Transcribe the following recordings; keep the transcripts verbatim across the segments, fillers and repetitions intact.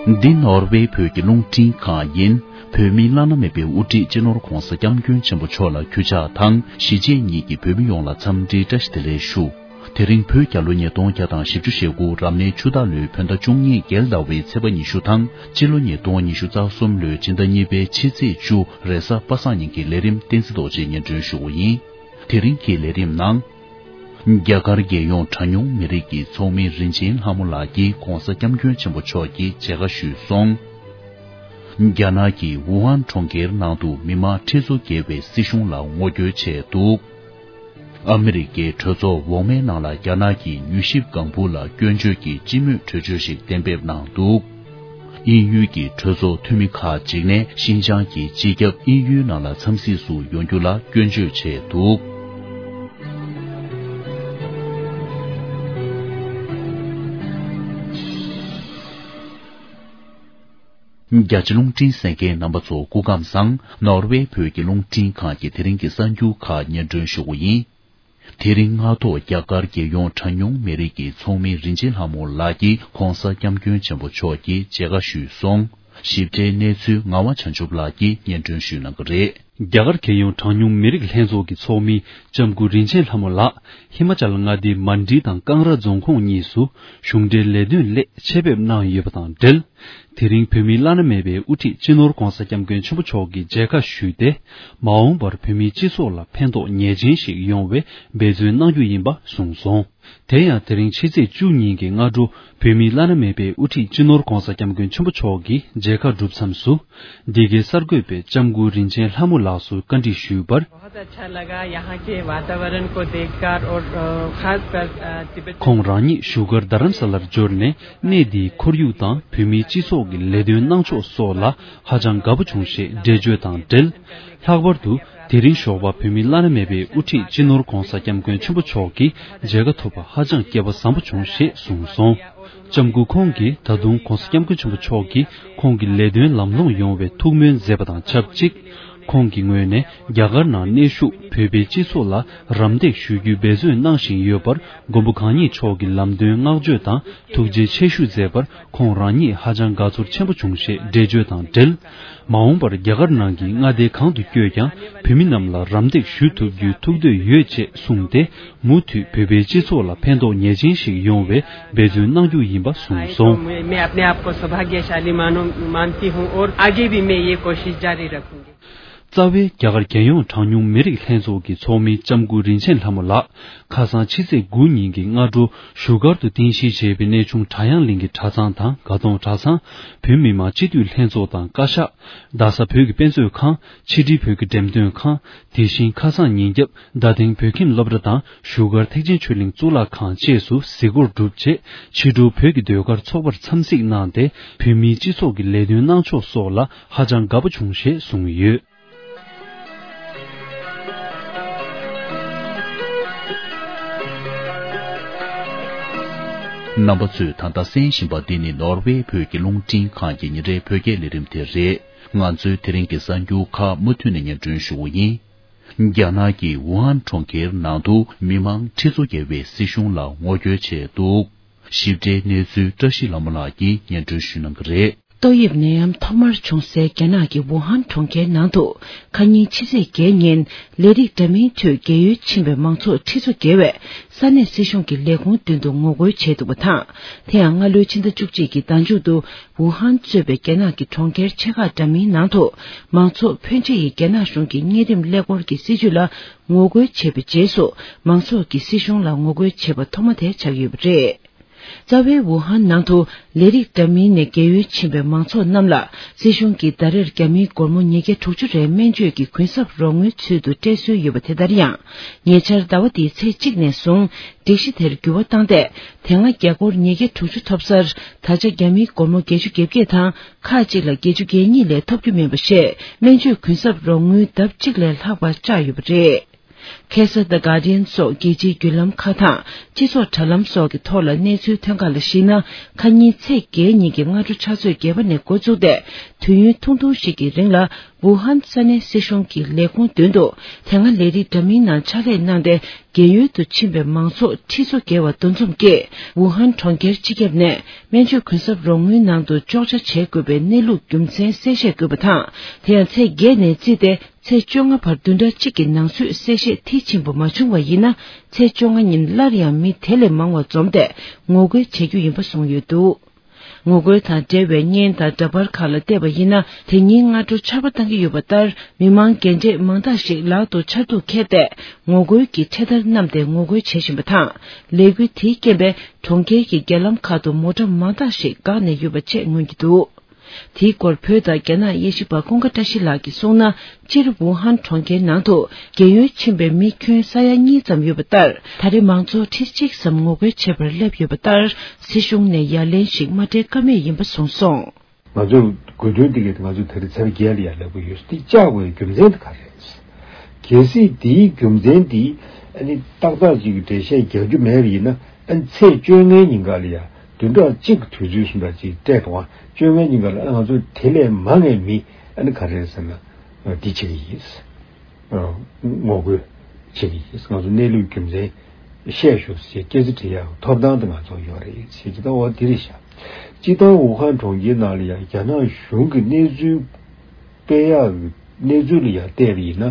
འདི་ནོར་ཝེ་བོད་ཀྱི་རླུང་འཕྲིན་ཁང་ཡིན། བོད་མིའི་བླ་ན་མེད་པའི་དབུ་ཁྲིད་སྤྱི་ནོར་༧གོང་ས་༧སྐྱབས་མགོན་ཆེན་པོ་མཆོག་ལ་གུས་ཕྱག་དང་གཞིས་བྱེས་གཉིས་ཀྱི་བོད་མི་ཡོངས་ལ་འཚམས་འདྲིའི་བཀྲ་ཤིས་བདེ་ལེགས་ཞུ། དེ་རིང་བོད་རྒྱལ་ལོ་ཉིས་སྟོང་བརྒྱ་དང་བཞི་བཅུ་ཞེ་དགུ་རབ་གནས་ཆུ་སྟག་ལོའི་བོད་ཟླ་བཅུ་གཉིས་རྒྱལ་ཟླ་བའི་ཚེས་པ་ཉི་ཤུ་དང་སྤྱི་ལོ་ཉིས་སྟོང་ཉི་ཤུ་རྩ་གསུམ་ལོའི་སྤྱི་ཟླ་གཉིས་པའི་ཕྱི་ཚེས་བཅུ་རེས་གཟའ་པ་སངས་ཉིན་གྱི་ལས་རིམ་བསྟན་འཛིན་རྡོ་རྗེས་སྙན་སྒྲོན་ཞུ་བ་ཡིན། དེ་རིང་གི་ལས་རིམ་ནང་། རྒྱ་གར་རྒྱལ་ཡོངས་གྲངས་ཉུང་མི་རིགས་ཀྱི་ཚོགས་མི་རིན་ཆེན་ལྷ་མོ་ལགས་ཀྱིས་༧གོང་ས་༧སྐྱབས་མགོན་ཆེན་པོ་མཆོག་གི་མཇལ་ཁ་ཞུས་སོང་། རྒྱ་ནག་གི་ཝུ་ཧན་གྲོང་ཁྱེར་ནང་དུ་མི་མང་ཁྲི་ཚོ་བརྒལ་བས་སྲིད་གཞུང་ལ་ངོ་རྒོལ་བྱས་འདུག་ཨ་མི་རི་ཀའི་གྲོས་ཚོགས་འོག་མའི་ནང་ལ་རྒྱ་ནག་གི་མྱུལ་ཞིབ་ལྒང་བུ་ལ་སྐྱོན་བརྗོད་ཀྱི་སྤྱི་མོས་གྲོས་ཆོད་ཞིག་གཏན་འབེབས་གནང་འདུག་དབྱིན་ཡུལ་གྱི་གྲོས་ཚོགས་འཐུས་མི་ཁག་ཅིག་ནས་ཤིན་ཅང་གི་སྤྱི་ཁྱབ་དབྱིན་ཡུལ་ནང་ལ་འཚམས་གཟིགས་སུ་ཡོང་རྒྱུ་ལ་སྐྱོན་བརྗོད་བྱས་འདུག་རྒྱ་ཆེ་རླུང་འཕྲིན་གསན་མཁན་རྣམ་པ་ཚོ་སྐུ་ཁམས་བཟང་། ནོར་ཝེ་བོད་ཀྱི་རླུང་འཕྲིན་ཁང་གི་དེ་རིང་གི་གསར་འགྱུར་ཁག་སྙན་སྒྲོན་ཞུ་བ་ཡིན། དེ་རིང་སྔ་ཐོག་རྒྱ་གར་རྒྱལ་ཡོངས་གྲངས་ཉུང་མི་རིགས་ཀྱི་ཚོགས་མི་རིན་ཆེན་ལྷ་མོ་ལགས་ཀྱིས་༧གོང་ས་༧སྐྱབས་མགོན་ཆེན་པོ་མཆོག་གི་མཇལ་ཁ་ཞུས་སོང་། ཞིབ་ཕྲའི་གནས་ཚུལ་ངག་དབང་བྱང་ཆུབ་ལགས་ཀྱིས་སྙན་སྒྲོན་ཞུ་གནང་གི་རེད། རྒྱ་གར་རྒྱལ་ཡོངས་གྲངས་ཉུང་མི་རིགས་ལྷན་ཚོགས་ཀྱི་ཚོགས་མི་ལྕམ་སྐུ་རིན་ཆེན་ལྷ་མོ་ལགས་ཧི་མ་ཅལ་མངའ་སྡེའི་མན་ཌི་དང་ཀང་ར་རྫོང་ཁོངས་གཉིས་སུ་གཞུང་འབྲེལ་ལས་དོན་སླད་ཆེད་ཕེབས་གནང་ཡོད་པ་དང་འབྲེལ། དེ་རིང་བོད་མིའི་བླ་ན་མེད་པའི་དབུ་ཁྲིད་སྤྱི་ནོར་༧གོང་ས་༧སྐྱབས་མགོན་ཆེན་པོ་མཆོག་གི་མཇལ་ཁ་ཞུས་ཏེ། མ་འོངས་པར་བོད་མིའི་སྤྱི་ཚོགས་ལ་ཕན་ཐོགས་ངེས་ཅན་ཞིག་ཡོང་བའི་འབད་བརྩོན་གནང་རྒྱུ་ཡིན་པ་གསུངས་སོང་། དེ་ཡང་དེ་རིང་ཕྱི་ཚེས་བཅུ་ཉིན་གྱི་སྔ་དྲོ་བོད་མིའི་བླ་ན་མེད་པའི་དབུ་ཁྲིད་སྤྱི་ནོར་༧གོང་ས་༧སྐྱབས་མགོན་ཆེན་པོ་མཆོག་གི་མཇལ་ཁ་གྲུབ་མཚམས་སུ། འདི་གའི་གསར་འགོད་པས་ལྕམ་སྐུ་རིན་ཆེན་ལྷ་མོ་ལགས་སུ་བཀའ་འདྲི་ཞུས་པར། बहुत अच्छा लगा यहाँ के वातावरण को देखकर और अ, खासकर अ, तिब्बत ཁོང་རང་ཉིད་བཞུགས་སྒར་རྡ་རམ་ས་ལར་འབྱོར་ནས་གནས་འདིའི་ཁོར་ཡུག་དང་བོད་མིའི་སྤྱི་ཚོགས་ཀྱི་ལས་དོན་གནང་ཕྱོགས་སོགས་ལ་ཧ་ཅང་དགའ་པོ་བྱུང་ཞེས་འགྲེལ་བརྗོད་དང་འབྲེལ། ལྷག་པར་དུ་དེ་རིང་ཞོགས་པ་བོད་མིའི་བླ་ན་མེད་པའི་དབུ་ཁྲིད་སྤྱི་ནོར་༧གོང་ས་༧སྐྱབས་མགོན་ཆེན་པོ་མཆོག་གི་མཇལ་ཁ་ཐོབ་པ་ཧ་ཅང་སྐལ་པ་བཟང་པོ་བྱུང་ཞེས་གསུངས་སོང་། ལྕམ་སྐུ་ཁོང་གིས་ད་དུང་༧གོང་ས་༧སྐྱབས་མགོན་ཆེན་པོ་མཆོག་གིས་ཁོང་གི་ལས་དོན་ལམ་ལྷོང་ཡོང་བའི་ཐུགས་སྨོན་མཛད་པ་དང་ཆབས་ཅིག་ཁོང་གི་ངོས་ནས་རྒྱ་གར་ནང་གནས་བཞུགས་བོད་པའི་སྤྱི་ཚོགས་ལ་རམ་འདེགས་ཞུ་རྒྱུའི་འབད་བརྩོན་གནང་བཞིན་ཡོད་པར་མགོན་པོ་གང་ཉིད་མཆོག་གི་ལམ་སྟོན་བསྔགས་བརྗོད་དང་ཐུགས་རྗེ་ཆེ་ཞུ་མཛད་པར་ཁོང་རང་ཉིད་ཧ་ཅང་དགའ་ཚོར་ཆེན་པོ་བྱུང་ཞེས་འགྲེལ་བརྗོད་དང་འབྲེལ། མ་འོངས་པར་རྒྱ་གར་ནང་གི་མངའ་སྡེ་གང་དུ་བསྐྱོད་ཀྱང་བོད་མི་རྣམས་ལ་རམ་འདེགས་ཞུ་ཐུབ་རྒྱུའི་ཐུགས་འདོད་ཡོད་ཅེས་གསུངས་ཏེ། མུ་མཐུད་བོད་པའི་སྤྱི་ཚོགས་ལ་ཕན་ཐོགས་ངེས་ཅན་ཞིག་ཡོང་བའི་འབད་བརྩོན་གནང་རྒྱུ་ཡིན་པ་གསུངས་སོང་། मैं मैं अपने आप को सौभाग्यशाली मानूं मानती हूं और आगे भी मैं ये कोशिश जारी रखूंगी। རྩ་བའི་རྒྱ་གར་རྒྱལ་ཡོངས་གྲངས་ཉུང་མི་རིགས་ལྷན་ཚོགས་ཀྱི་ཚོགས་མི་ལྕམ་སྐུ་རིན་ཆེན་ལྷ་མོ་ལགས། ཁ་སང་ཕྱི་ཚེས་དགུ་ཉིན་གྱི་སྔ་དྲོ་བཞུགས་སྒར་དུ་རྟེན་གཞི་བྱས་པའི་གནས་ཆུང་བྲག་གཡང་གླིང་གི་གྲྭ་ཚང་དང་དགའ་གདོང་གྲྭ་ཚང་། བོད་མི་མང་སྤྱི་འཐུས་ལྷན་ཚོགས་དང་བཀའ་ཤག་རྡ་ས་བོད་ཀྱི་དཔེ་མཛོད་ཁང་། ཕྱི་དྲིལ་བོད་ཀྱི་འགྲེམས་སྟོན་ཁང་། དེ་བཞིན་ཁ་སང་ཉིན་རྒྱབ་རྡ་སྟེང་བོད་ཁྱིམ་སློབ་གྲྭ་དང་བཞུགས་སྒར་ཐེག་ཆེན་ཆོས་གླིང་གཙུག་ལག་ཁང་བཅས་སུ་གཟིགས་སྐོར་གྲུབ་རྗེས། ཕྱི་དྲོ་བོད་ཀྱི་ཟློས་གར་ཚོགས་པར་འཚམས་གཟིགས་གནང་སྟེ། བོད་མིའི་སྤྱི་ཚོགས་ཀྱི་ལས་དོན་གནང་ཕྱོགས་སོགས་ལ་ཧ་ཅང་དགའ་པོ་བྱུང་ཞེས་གསུངས་ཡོད། རྣམ་པ་ཚོས་ད་ལྟ་གསན་བཞིན་པ་འདི་ནི་ནོར་ཝེ་བོད་ཀྱི་རླུང་འཕྲིན་ཁང་གི་ཉིན་རེའི་བོད་སྐད་ལས་རིམ་དེ་རེད། ང་ཚོའི་དེ་རིང་གི་གསར་འགྱུར་ཁག་མུ་མཐུད་ནས་སྙན་སྒྲོན་ཞུ་བ་ཡིན། རྒྱ་ནག་གི་ཝུ་ཧན་གྲོང་ཁྱེར་ནང་དུ་མི་མང་ཁྲི་ཚོ་བརྒལ་བས་སྲིད་གཞུང་ལ་ངོ་རྒོལ་བྱས་འདུག་ཞིབ་ཕྲའི་གནས་ཚུལ་བཀྲ་ཤིས་ལྷ་མོ་ལགས་ཀྱིས་སྙན་སྒྲོན་ཞུ་གནང་གི་རེད། ཏོག་དབྱིབས་ནད་ཡམས་ཐོག་མར་བྱུང་སའི་རྒྱ་ནག་གི་ཝུ་ཧན་གྲོང་ཁྱེར་ནང་དུ་ཁ་ཉིན་ཕྱི་ཚེས་བརྒྱད་ཉིན་ལས་རིགས་འདྲ་མིན་ཁྲོད་རྒས་ཡོལ་ཕྱིན་པའི་མང་ཚོགས་ཁྲི་ཚོ་བརྒལ་བས་ས་གནས་སྲིད་གཞུང་གི་ལས་ཁུངས་མདུན་དུ་ངོ་རྒོལ་བྱས་འདུག་པ་དང་། དེ་ཡང་སྔ་ལོའི་ཕྱི་ཟླ་བཅུ་གཅིག་གི་ཟླ་མཇུག་ཏུ་ཝུ་ཧན་གཙོས་པའི་རྒྱ་ནག་གི་གྲོང་ཁྱེར་ཆེ་ཁག་འདྲ་མིན་ནང་དུ་མང་ཚོགས་ཕོན་ཆེ་ཡིས་རྒྱ་ནག་གཞུང་གི་གཉན་རིམས་ཀླད་ཀོར་གྱི་སྲིད་བྱུས་ལ་ངོ་རྒོལ་བྱས་པའི་རྗེས་སུ། མང་ཚོགས་ཀྱིས་སྲིད་གཞུང་ལ་ངོ་རྒོལ་བྱས་པ་ཐོག་མ་དེ་ཆགས་ཡོད་པ་རེད། རྩ་བའི་ཝུ་ཧན་ནང་དུ་ལས་རིགས་འདྲ་མིན་ནས་རྒས་ཡོལ་ཕྱིན་པའི་མང་ཚོགས་རྣམས་ལ་སྲིད་གཞུང་གིས་ཟླ་རེར་རྒྱ་མིའི་སྒོར་མོ་ཉིས་བརྒྱ་དྲུག་ཅུ་རེའི་སྨན་བཅོས་ཀྱི་གུན་གསབ་རོགས་དངུལ་ཚུལ་དུ་སྤྲད་སྲོལ་ཡོད་པ་དེ་ལྟར་ཡང་། ཉེ་ཆར་ཟླ་བ་འདིའི་ཚེས་གཅིག་ནས་བཟུང་སྒྲིག་གཞི་དེར་འགྱུར་བ་བཏང་སྟེ། དེ་སྔ་རྒྱ་སྒོར་ཉིས་བརྒྱ་དྲུག་ཅུ་ཐོབ་སར་ད་ཆ་རྒྱ་མིའི་སྒོར་མོ་བརྒྱད་ཅུ་གྱ་བརྒྱད་དང་ཁག་ཅིག་ལ་བརྒྱད་ཅུ་གྱ་གཉིས་ལས་ཐོབ་རྒྱུ་མིན་པ་ཞེས་སྨན་བཅོས་གུན་གསབ་རོགས་དངུལ་ལྡབ་གཅིག་ལས་ལྷག་པ་བཅག་ཡོད་པ་རེད། ཁེ་ས་The Guardian་སོགས་རྒྱལ་སྤྱིའི་བརྒྱུད་ལམ་ཁག་དང་སྤྱི་ཚོགས་དྲ་ལམ་སོགས་ཀྱི་ཐོག་ལ་གནས་ཚུལ་ཐོན་ཁག་ལ་གཞིགས་ན། ཁ་ཉིན་ཚེས་བརྒྱད་ཉིན་གྱི་སྔ་དྲོ་ཆུ་ཚོད་བརྒྱད་པ་ནས་འགོ་བཙུགས་ཏེ། དུས་ཡུན་ཐུང་ཐུང་ཞིག་གི་རིང་ལ། ཝུ་ཧན་ས་གནས་སྲིད་གཞུང་གི་ལས་ཁུངས་མདུན་དུ། དེ་སྔ་ལས་རིགས་འདྲ་མིན་ནང་ཕྱག་ལས་གནང་སྟེ། རྒས་ཡོལ་དུ་ཕྱིན་པའི་མང་ཚོགས་ཁྲི་ཚོ་བརྒལ་བ་འདུ་འཛོམས་ཀྱིས། ཝུ་ཧན་གྲོང་ཁྱེར་སྤྱི་ཁྱབ་ནས། སྨན་བཅོས་གུན་གསབ་རོགས་དངུལ་ནང་དུ་གཅོག་ཆ་བྱེད་དགོས་པའི་གནས་ལུགས་རྒྱུ་མཚན་གསལ་བཤད་དགོས་པ་དང་། དེ་ཡང་ཚེས་བརྒྱད་ནས་བརྩིས་ཏེ། ཚེས་བཅོ་ལྔ་བར་བདུན་ཕྲག་གཅིག་གི་ནང་ཚུད་གསལ་བཤད་མཐིལ་ཕྱིན་པ་མ་བྱུང་བ་ཡིན་ན། ཚེས་བཅོ་ལྔ་ཉིན་སླར་ཡང་མི་དེ་ལས་མང་བ་འཛོམས་ཏེ། ངོ་རྒོལ་བྱེད་རྒྱུ་ཡིན་པ་གསུངས་ཡོད་འདུག་ངོ་རྒོལ་དང་འབྲེལ་བའི་བརྙན་དང་འདྲ་པར་ཁག་ལ་བལྟས་པ་ཡིན་ན། དེ་ཉིན་སྔ་དྲོ་ཆར་པ་བཏང་གི་ཡོད་པ་ལྟར། མི་མང་རྒན་གྲས་མང་དག་ཞིག་ལག་ཏུ་ཆར་གདུགས་ཁྱེར་ཏེ། ངོ་རྒོལ་གྱི་འཕྲེད་དར་བསྣམས་ཏེ་ངོ་རྒོལ་བྱེད་བཞིན་པ་དང་། ལས་འགུལ་དེའི་རྐྱེན་པས། གྲོང་ཁྱེར་གྱི་རྒྱ་ལམ་ཁག་ཏུ་མོ་ཊ་མང་དག་ཞིག་འགག་ནས་ཡོད་པ་བཅས་མངོན་གྱི་འདུག་དེའི་སྐོར་བོད་དང་རྒྱ་ནག་དབྱེ་ཞིབ་པ་ཀུན་དགའ་བཀྲ་ཤིས་ལགས་ཀྱིས་གསུངས་ན། སྤྱིར་ཝུ་ཧན་གྲོང་ཁྱེར་ནང་དུ་རྒས་ཡོལ་ཕྱིན་པའི་མི་ཁྱོན་ས་ཡ་གཉིས་ཙམ་ཡོད་པ་ལྟར། ད་རེས་མང་ཚོགས་ཁྲི་གཅིག་ཙམ་ངོ་རྒོལ་བྱེད་པར་སླེབས་ཡོད་པ་ལྟར། སྲིད་གཞུང་ནས་ཡ་ལན་ཞིག་མ་སྤྲད་ཀ་མེད་ཡིན་པ་གསུངས་སོང་། ང་ཚོས་དགོས་འདུན་དེ་གས་ང་ཚོས་ད་རེས་ཚར་བརྒྱད་ལ་ཡ་ལབ་ཀྱི་ཡོད། དེ་བཅག་དགོས་རྒྱུ་མཚན་དེ་ག་རེད། གལ་སྲིད་དེའི་རྒྱུ་མཚན་དེ་ཨ་ནི་ཏག་ཏག་ཅིག་གི་འགྲེལ་བཤད་རྒྱག་རྒྱུ་མེད་པ་ཡིན་ན། ཨ་ནི་ཚེས་བཅོ་ལྔའི་ཉིན་ག་ལ་ཡ་བདུན་ཕྲག་གཅིག་གི་དུས་ཚོད་གསུམ་ཕྲག་གཅིག་སྤྲད་འདུག་ཨ། བཅོ་ལྔའི་ཉིན་ག་ལ་ཨ་ང་ཚོ་དེ་ལས་མང་བའི་མི་ཨ་ནི་ག་རེ་ཟེར་ན་འདི་བྱེད་ཀྱི་ཡིན། ངོ་རྒོལ་བྱེད་ཀྱི་ཡིན། ང་ཚོ་གནས་ལུགས་རྒྱུ་མཚན་བཤད་ཞུ་ཞེས་སྐད་ཆ་དྲི་ཡག་ཐོབ་ཐང་དེ་ང་ཚོ་ཡོད་རེད་ཞེས་ཀྱི་ད་འོ་དེ་རེད་ཤག་སྤྱི་བཏང་ཝུ་ཧན་གྲོང་ཁྱེར་ནང་ལ་ཡང་རྒྱ་ནག་གཞུང་གི་གནས་ཚུལ་སྤེལ་ཡག་གི་གནས་ཚུལ་ལ་ཡང་བལྟས་པ་ཡིན་ན།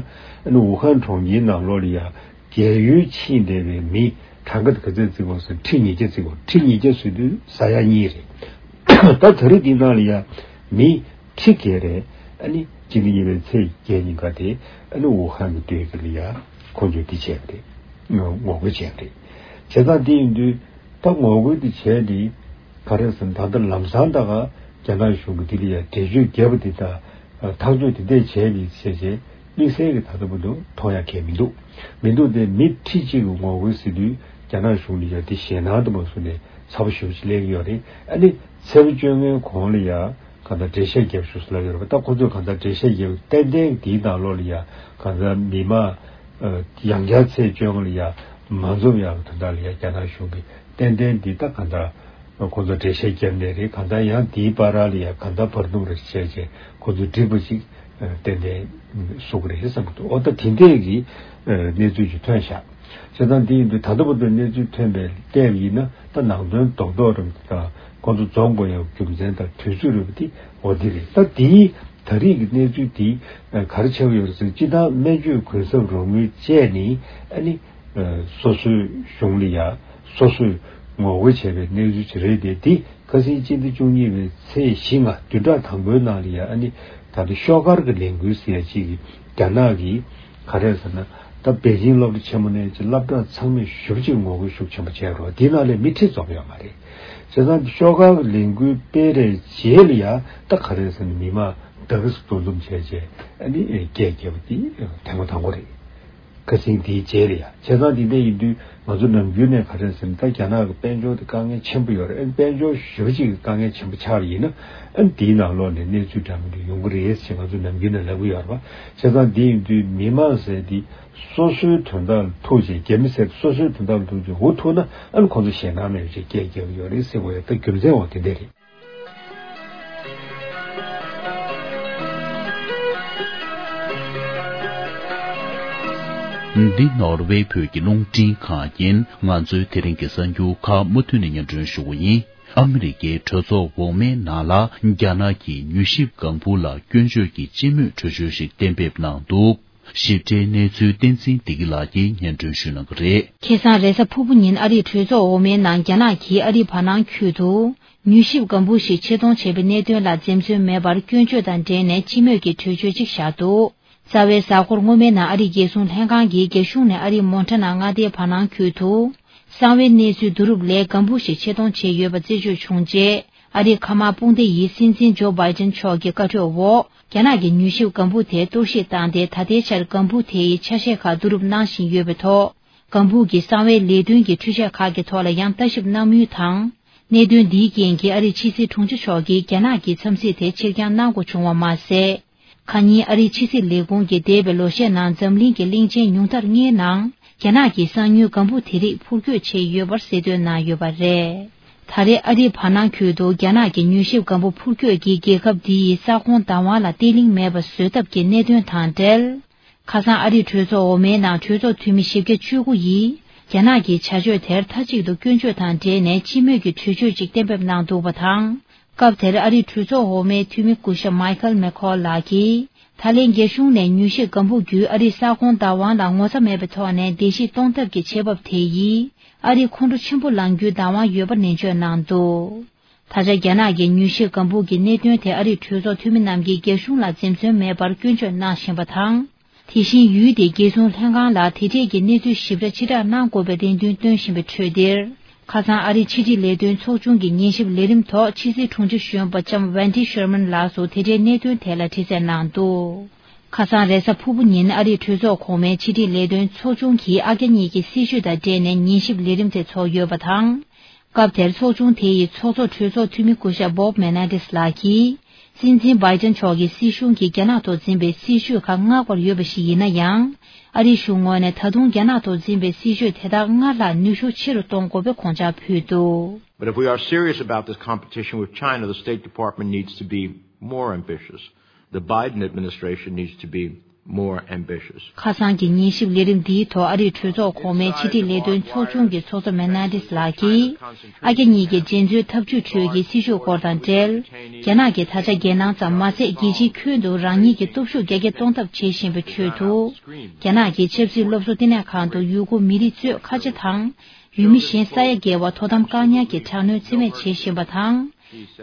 ཨ་ནི་ཝུ་ཧན་གྲོང་ཁྱེར་ནང་ལོགས་ལ་ཡང་རྒས་ཡོལ་ཕྱིན་བསྡད་པའི་མི་གྲངས་ཀ་དེ་ག་ཚད་བརྩི་དགོས་ཟེར་ཁྲི་ཉིས་བརྒྱ་བརྩི་དགོས། ཁྲི་ཉིས་བརྒྱ་ཟེར་དུས་ས་ཡ་གཉིས་རེད། ད་ད་རེས་འདི་ནང་ལ་ཡང་མི་ཁྲི་བརྒལ་རེད། ཨ་ནི་སྤྱི་ཟླ་གཉིས་པའི་ཚེས་བརྒྱད་ཉིན་ཀ་དེ་ཨ་ནི་ཝུ་ཧན་གྱི་སྡོད་ཀྱི་ལ་ཡ་ཁོང་ཚོས་འདི་བྱས་པ་རེད། ངོ་རྒོལ་བྱས་པ་རེད། བྱས་ཙང་འདི་ཡིན་དུས་ད་ངོ་རྒོལ་འདི་བྱས་ནས་ག་རེ་ཟེར་ན། ད་ལྟ་ལམ་སང་ད་ག་རྒྱ་ནག་གཞུང་གི་འདི་ལ་ཡ་འགྲེལ་བརྗོད་རྒྱབ་པ་འདི་དང་ཐག་གཅོད་འདི་འདྲས་བྱས་ནས་བྱས་བྱས་དམིགས་བསལ་གྱི་ད་ལྟ་བར་དུ་མཐོང་ཡ་གང་ཡང་མི་འདུག་མི་འདུག་སྟེ་མི་ཁྲི་གཅིག་གི་ངོ་རྒོལ་ཟེར་དུས་རྒྱ་ནག་གཞུང་ལ་ཡ་འདི་ཞེད་སྣང་དུ་མ་བཟུང་ནས་ཚ་པོ་ཞེ་པོ་ཅིག་སླེབས་ཀྱི་ཡོད་རེད། ཨ་ནི་ཚེས་པ་བཅོ་ལྔའི་གོང་ལ་ཡ་གང་ལྟར་འགྲེལ་བཤད་རྒྱབ་ཤོག་ཟེར་ལབ་ཡོད་རེད་པ། ད་ཁོ་ཚོས་གང་ལྟར་འགྲེལ་བཤད་རྒྱབ་ཏན་ཏན་དེའི་ནང་ལོགས་ལ་ཡ་གང་ལྟར་མི་མང་ཡང་བསྐྱར་ཚེས་བཅོ་ལྔ་ལ་ཡ་མ་འཛོམས་ཡག་དོན་དག་ལ་ཡ་རྒྱ་ནག་གཞུང་གིས་ཏན་ཏན་འདི་ད་གང་ལྟར་ཁོ་ཚོ་འགྲེལ་བཤད་བརྒྱབ་ནས་རེད། གང་ལྟར་ཡང་དེའི་བར་ལ་ཡ་གང་ལྟར་བར་འདུམ་རེ་བྱས་བྱས་ཁོ་ཚོ་འགྲིག་པ་ཞིག་ཏན་ཏན་བཟོ་གི་རེད་བསམ་གྱི་འདུག་འོ་ད་དེ་འདྲས་ཀྱི་གནས་ཚུལ་ཞིག་ཐོན་ཤག་བྱས་ཙང་འདི་ཡིན་དུས་ད་ལྟ་བར་དུ་གནས་ཚུལ་ཐོན་པའི་བལྟས་པ་ཡིན་ན་ད་ནང་དོན་རྡོག་རྡོག་རེད་པ། ད་ཁོ་ཚོ་འཛོམས་དགོས་ཡག་རྒྱུ་མཚན་དང་དུས་ཚོད་རེད་པ། དེ་འོ་འདི་རེད། ད་དེའི་ད་རེས་ཀྱི་གནས་ཚུལ་དེ་ག་རེ་ཆགས་ཀྱི་ཡོད་རེད་ཟེར། སྤྱིར་བཏང་སྨན་བཅོས་གུན་གསབ་རོགས་དངུལ་བཅད་ནས་ཨ་ནི་སོ་སོའི་གཞུང་ལ་ཡ་སོ་སོས་ངོ་རྒོལ་བྱས་པའི་གནས་ཚུལ་ཅིག་རེད་དེ། དེ་ཁ་སང་སྤྱི་ཟླ་བཅུ་གཉིས་པའི་ཚེས་བཞི་ལྔ་བདུན་ཕྲག་དང་པོའི་ནང་ལ་ཡ་ཨ་ནི་ད་ལྟ་ཤོག་དཀར་གྱི་ལས་འགུལ་ཟེར་ཡ་གཅིག་གིས་རྒྱ་ནག་གིས་ག་རེ་ཟེར་ན། ད་པེ་ཅིང་སློབ་གྲྭ་ཆེན་མོ་ནས་ཅིག་སློབ་གྲྭ་ཚང་མས་ཞེ་པོ་ཅིག་ངོ་རྒོལ་ཤུགས་ཆེན་པོ་བྱས་རོགས། དེའི་ནང་ལ་མི་ཁྲི་འཛོམས་ཡོད་མ་རེད། བྱས་ཙང་ཤོག་དཀར་གྱི་ལས་འགུལ་སྤེལ་རེས་རྗེས་ལ་ཡ་ད་ག་རེ་ཟེར་ན། མི་མང་ད་ག་ཟེ་འདུ་འཛོམས་བྱས་བྱས་ཨ་ནི་སྐད་རྒྱབ་པ་དེ་ཐེངས་མ་དང་པོ་རེད། ཁ་སང་དེའི་རྗེས་ལ་ཡ། བྱས་ཙང་དེ་འདྲ་ཡིན་དུས་ང་ཚོ་ནམ་རྒྱུན་ནས་ག་རེ་ཟེར་ན། ད་རྒྱ་ནག་གི་དཔལ་འབྱོར་དེ་དཀའ་ངལ་ཆེན་པོ་ཡོད་རེད། ཨ་ནི་དཔལ་འབྱོར་ཞེ་པོ་ཅིག་གི་དཀའ་ངལ་ཆེན་པོ་ཆགས་པ་ཡིན་ན། ཨ་ནི་དེའི་ནང་ལོགས་ནས་གནས་ཚུལ་འདྲ་མི་འདྲ་ཡོང་གི་རེད་ཅེས་ང་ཚོ་ནམ་རྒྱུན་ནས་ལབ་ཀྱི་ཡོད་རེད་པ། བྱས་ཙང་དེ་ཡིན་དུས་མི་མང་ཟེར་དེ་སོ་སོའི་དོན་དག་ལ་ཐུག་བྱས། རྒྱ་མི་ཟེར་སོ་སོའི་དོན་དག་ལ་ཐུག་བྱས་འུ་ཐུག་ན། ཨ་ནི་ཁོང་ཚོ་ཞེད་སྣང་མེད་པ་ཅིག་སྐད་རྒྱབ་ཀྱི་ཡོད་རེད་ཟེར་བ་ཡ། ད་རྒྱུ་མཚན་འོ་དེ་འདྲ་རེད། འདི་ནོར་ཝེ་བོད་ཀྱི་རླུང་འཕྲིན་ཁང་ཡིན། ང་ཚོའི་དེ་རིང་གི་གསར་འགྱུར་ཁག་མུ་མཐུད་ནས་སྙན་སྒྲོན་ཞུ་གི་ཡིན། ཨ་མི་རི་ཀའི་གྲོས་ཚོགས་འོག་མའི་ནང་ལ་རྒྱ་ནག་གིས་མྱུལ་ཞིབ་ལྒང་བུ་ལ་སྐྱོན་བརྗོད་ཀྱི་སྤྱི་མོས་གྲོས་ཆོད་ཞིག་གཏན་འབེབས་གནང་འདུག་ཞིབ་ཕྲའི་གནས་ཚུལ་བསྟན་འཛིན་བདེ་སྐྱིད་ལགས་ཀྱིས་སྙན་སྒྲོན་ཞུ་གནང་གི་རེད། ཁ་སང་རེས་གཟའ་ཕུར་བུ་ཉིན་ཨ་རིའི་གྲོས་ཚོགས་འོག་མའི་ནང་རྒྱ་ནག་གིས་ཨ་རིའི་བར་སྣང་ཁུལ་དུ་མྱུལ་ཞིབ་ལྒང་བུ་ཞིག་ཆེད་གཏོང་བྱས་པའི་གནད་དོན་ལ་འཛེམ་ཟོན་མེད་པར་སྐྱོན་བརྗོད་དང་འབྲེལ་ནས་སྤྱི་མོས་ཀྱི་གྲོས་ཆོད་ཅིག་བཞག་འདུག་རྩ་བའི་གཟའ་འཁོར་སྔོན་མའི་ནང་ཨ་རིའི་རྒྱལ་སྲུང་ལྷན་ཁང་གིས་རྒྱ་གཞུང་ནས་ཨ་རིའི་མོན་ཊ་ན་མངའ་སྡེའི་བར་སྣང་ཁུལ་དུ་གསང་བའི་གནས་ཚུལ་བསྡུ་རུབ་ལས་ལྒང་བུ་ཞིག་ཆེད་གཏོང་བྱས་ཡོད་པ་རྩད་གཅོད་བྱུང་རྗེས། ཨ་རིའི་མཁའ་དམག་དཔུང་སྡེ་ཡི་སྲིད་འཛིན་ཇོ་བྷའི་ཏིན་མཆོག་གི་བཀའ་འཁྲོལ་འོག་རྒྱ་ནག་གིས་མྱུལ་ཞིབ་ལྒང་བུ་དེ་གཏོར་བཤིག་བཏང་སྟེ། ད་ལྟའི་ཆར་ལྒང་བུ་དེ་ཡི་ཆ་ཤས་ཁག་བསྡུ་རུབ་གནང་བཞིན་ཡོད་པའི་ཐོག་ལྒང་བུ་གི་གསང་བའི་ལས་དོན་གྱི་འཕྲུལ་ཆས་ཁག་གི་ཐོག་ལ་ཡང་ལྟ་ཞིབ་གནང་མུས་དང་། གནད་དོན་འདིའི་རྐྱེན་གྱིས་ཨ་རིའི་ཕྱི་སྲིད་དྲུང་ཆེ་མཆོག་གིས་རྒྱ་ནག་གི་འཚམས་གཟིགས་དེ་ཕྱིར་འགྱངས་གནང་དགོས་བྱུང་བ་མ་ཟད། ཁ་ཉིན་ཨ་རིའི་ཕྱི་སྲིད་ལས་ཁུངས་ཀྱིས་འདས་པའི་ལོ་ཤས་ནང་འཛམ་གླིང་གི་གླིང་ཆེན་ཉུང་མཐར་ལྔའི་ནང་རྒྱ་ནག་གིས་གསང་ཉུལ་ལྒང་བུ་དེ་རིགས་འཕུར་སྐྱོད་བྱས་ཡོད་པར་གསལ་སྟོན་གནང་ཡོད་པ་རེད། ད་རེས་ཨ་རིའི་བར་སྣང་ཁུལ་དུ་རྒྱ་ནག་གི་མྱུལ་ཞིབ་ལྒང་བུ་འཕུར་སྐྱོད་ཀྱིས་རྒྱལ་ཁབ་འདིའི་ས་ཁོངས་བདག་དབང་ལ་བརྟན་ལྷིང་མེད་པ་བཟོ་ཐབས་ཀྱི་གནད་དོན་དང་འབྲེལ། ཁ་སང་ཨ་རིའི་གྲོས་ཚོགས་འོག་མའི་ནང་གྲོས་ཚོགས་འཐུས་མི་བཞི་བརྒྱ་བཅུ་དགུ་ཡིས་རྒྱ་ནག་གི་བྱ་སྤྱོད་དེར་མཐའ་གཅིག་ཏུ་སྐྱོན་བརྗོད་དང་འབྲེལ་ནས་སྤྱི་མོས་ཀྱི་གྲོས་ཆོད་ཅིག་གཏན་འབེབས་གནང་འདུག་པ་དང་། སྐབས་དེར་ཨ་རིའི་གྲོས་ཚོགས་འོག་མའི་འཐུས་མི་སྐུ་ཞབས་མའི་ཁལ་མེ་ཁོལ་ལགས་ཀྱིས། ད་ལན་རྒྱ་གཞུང་ནས་མྱུལ་ཞིབ་ལྒང་བུ་བརྒྱུད་ཨ་རིའི་ས་ཁོངས་བདག་དབང་ལ་ངོ་ཚ་མེད་པའི་ཐོག་ནས་བརྡལ་བཤིག་གཏོང་ཐབས་ཀྱི་བྱེད་བབ་དེ་ཡིས། ཨ་རིའི་ཁོང་ཁྲོ་ཆེན་པོ་ལངས་རྒྱུའི་བདག་དབང་ཡོད་པ་ནན་བརྗོད་གནང་འདུག་ད་ཆ་རྒྱ་ནག་གི་མྱུལ་ཞིབ་ལྒང་བུ་གི་གནད་དོན་དེ་ཨ་རིའི་གྲོས་ཚོགས་འཐུས་མི་རྣམས་ཀྱིས་རྒྱ་གཞུང་ལ་འཛེམ་ཟོན་མེད་པར་སྐྱོན་བརྗོད་གནང་བཞིན་པ་དང་། དེ་བཞིན་ཡུལ་དེའི་རྒྱལ་སྲུང་ལྷན་ཁང་ལ་དེ་འབྲེལ་གྱི་གནས་ཚུལ་ཞིབ་ཕྲ་ཕྱིར་བསྒྲགས་གནང་དགོས་པའི་རེ་འདུན་བཏོན་བཞིན་པའི་འཕྲོས་འདིར། ཁ་སང་ཨ་རིའི་ཕྱི་དྲིལ་ལས་དོན་ཚོགས་ཆུང་གི་ཉན་ཞིབ་ལས་རིམ་ཐོག་ཕྱི་སྲིད་དྲུང་ཆེ་གཞོན་པ་ལྕམ་ཝན་ཏི་ཤར་མན་ལགས་སུ་དེ་འབྲེལ་གནད་དོན་དེ་ལ་དྲི་རྩད་གནང་འདུག་ཁ་སང་རེས་གཟའ་ཕུར་བུ་ཉིན་ཨ་རིའི་གྲོས་ཚོགས་གོང་མའི་ཕྱི་དྲིལ་ལས་དོན་ཚོགས་ཆུང་གིས་ཨ་རྒྱ་གཉིས་ཀྱི་སྲིད་བྱུས་དང་འབྲེལ་ནས་ཉན་ཞིབ་ལས་རིམ་དེ་ཚོགས་ཡོད་པ་དང་། སྐབས་དེར་ཚོགས་ཆུང་དེ་ཡི་ཚོགས་གཙོ་གྲོས་ཚོགས་འཐུས་མི་སྐུ་ཞབས་བོབ་མེ་ནེ་ཏིས་ལགས་ཀྱིས། སྲིད་འཛིན་བྷའི་ཏན་མཆོག་གི་སྲིད་གཞུང་གིས་རྒྱ་ནག་ཐོག་འཛིན་པའི་སྲིད་བྱུས་ཁག་བསྔགས་པར་ཡོད་པ་ཞིག་ཡིན་ན་ཡང་། ཨ་རིའི་གཞུང་ངོས་ནས་ད་དུང་རྒྱ་ནག་ཐོག་འཛིན་པའི་སྲིད་བྱུས་དེ་དག་སྔར་ལྷག་ནུས་ཤུགས་ཆེ་རུ་གཏོང་དགོས་པའི་དགོངས་འཆར་ཕུལ་འདུག But if we are serious about this competition with China, the State Department needs to be more ambitious. The Biden administration needs to be more ambitious. ཁ་སང་གི་ཉན་ཞིབ་ལས་རིམ་འདིའི་ཐོག་ཨ་རིའི་གྲོས་ཚོགས་གོང་མའི་ཕྱི་དྲིལ་ལས་དོན་ཚོགས་ཆུང་གི་ཚོགས་གཙོ་མེ་ནེ་ཏིས་ལགས་ཀྱིས། ཨ་རྒྱ་གཉིས་ཀྱི་འགྲན་རྩོད་འཐབ་ཇུས་ཁྲོད་ཀྱི་སྲིད་བྱུས་སྐོར་དང་འབྲེལ། རྒྱ་ནག་གིས་ད་ཆ་རྒྱལ་ནང་ཙམ་མ་ཟད། རྒྱལ་སྤྱིའི་ཁྱོན་དུ་རང་ཉིད་ཀྱི་སྟོབས་ཤུགས་རྒྱ་སྐྱེད་གཏོང་ཐབས་བྱེད་བཞིན་པའི་ཁྲོད་དུ། རྒྱ་ནག་གིས་ཆབ་སྲིད་སློབ་གསོ་བསྟི་གནས་ཁང་དུ་ཡུ་གུར་མི་རིགས་གཙོས་ཁ་ཆེ་དང་། ཡུལ་མི་གཞན་ས་ཡ་བརྒལ་བ་དོ་དམ་བཀག་ཉར་གྱི་དྲག་གནོན་རྩིས་མེད་བྱེད་བཞིན་པ་དང་།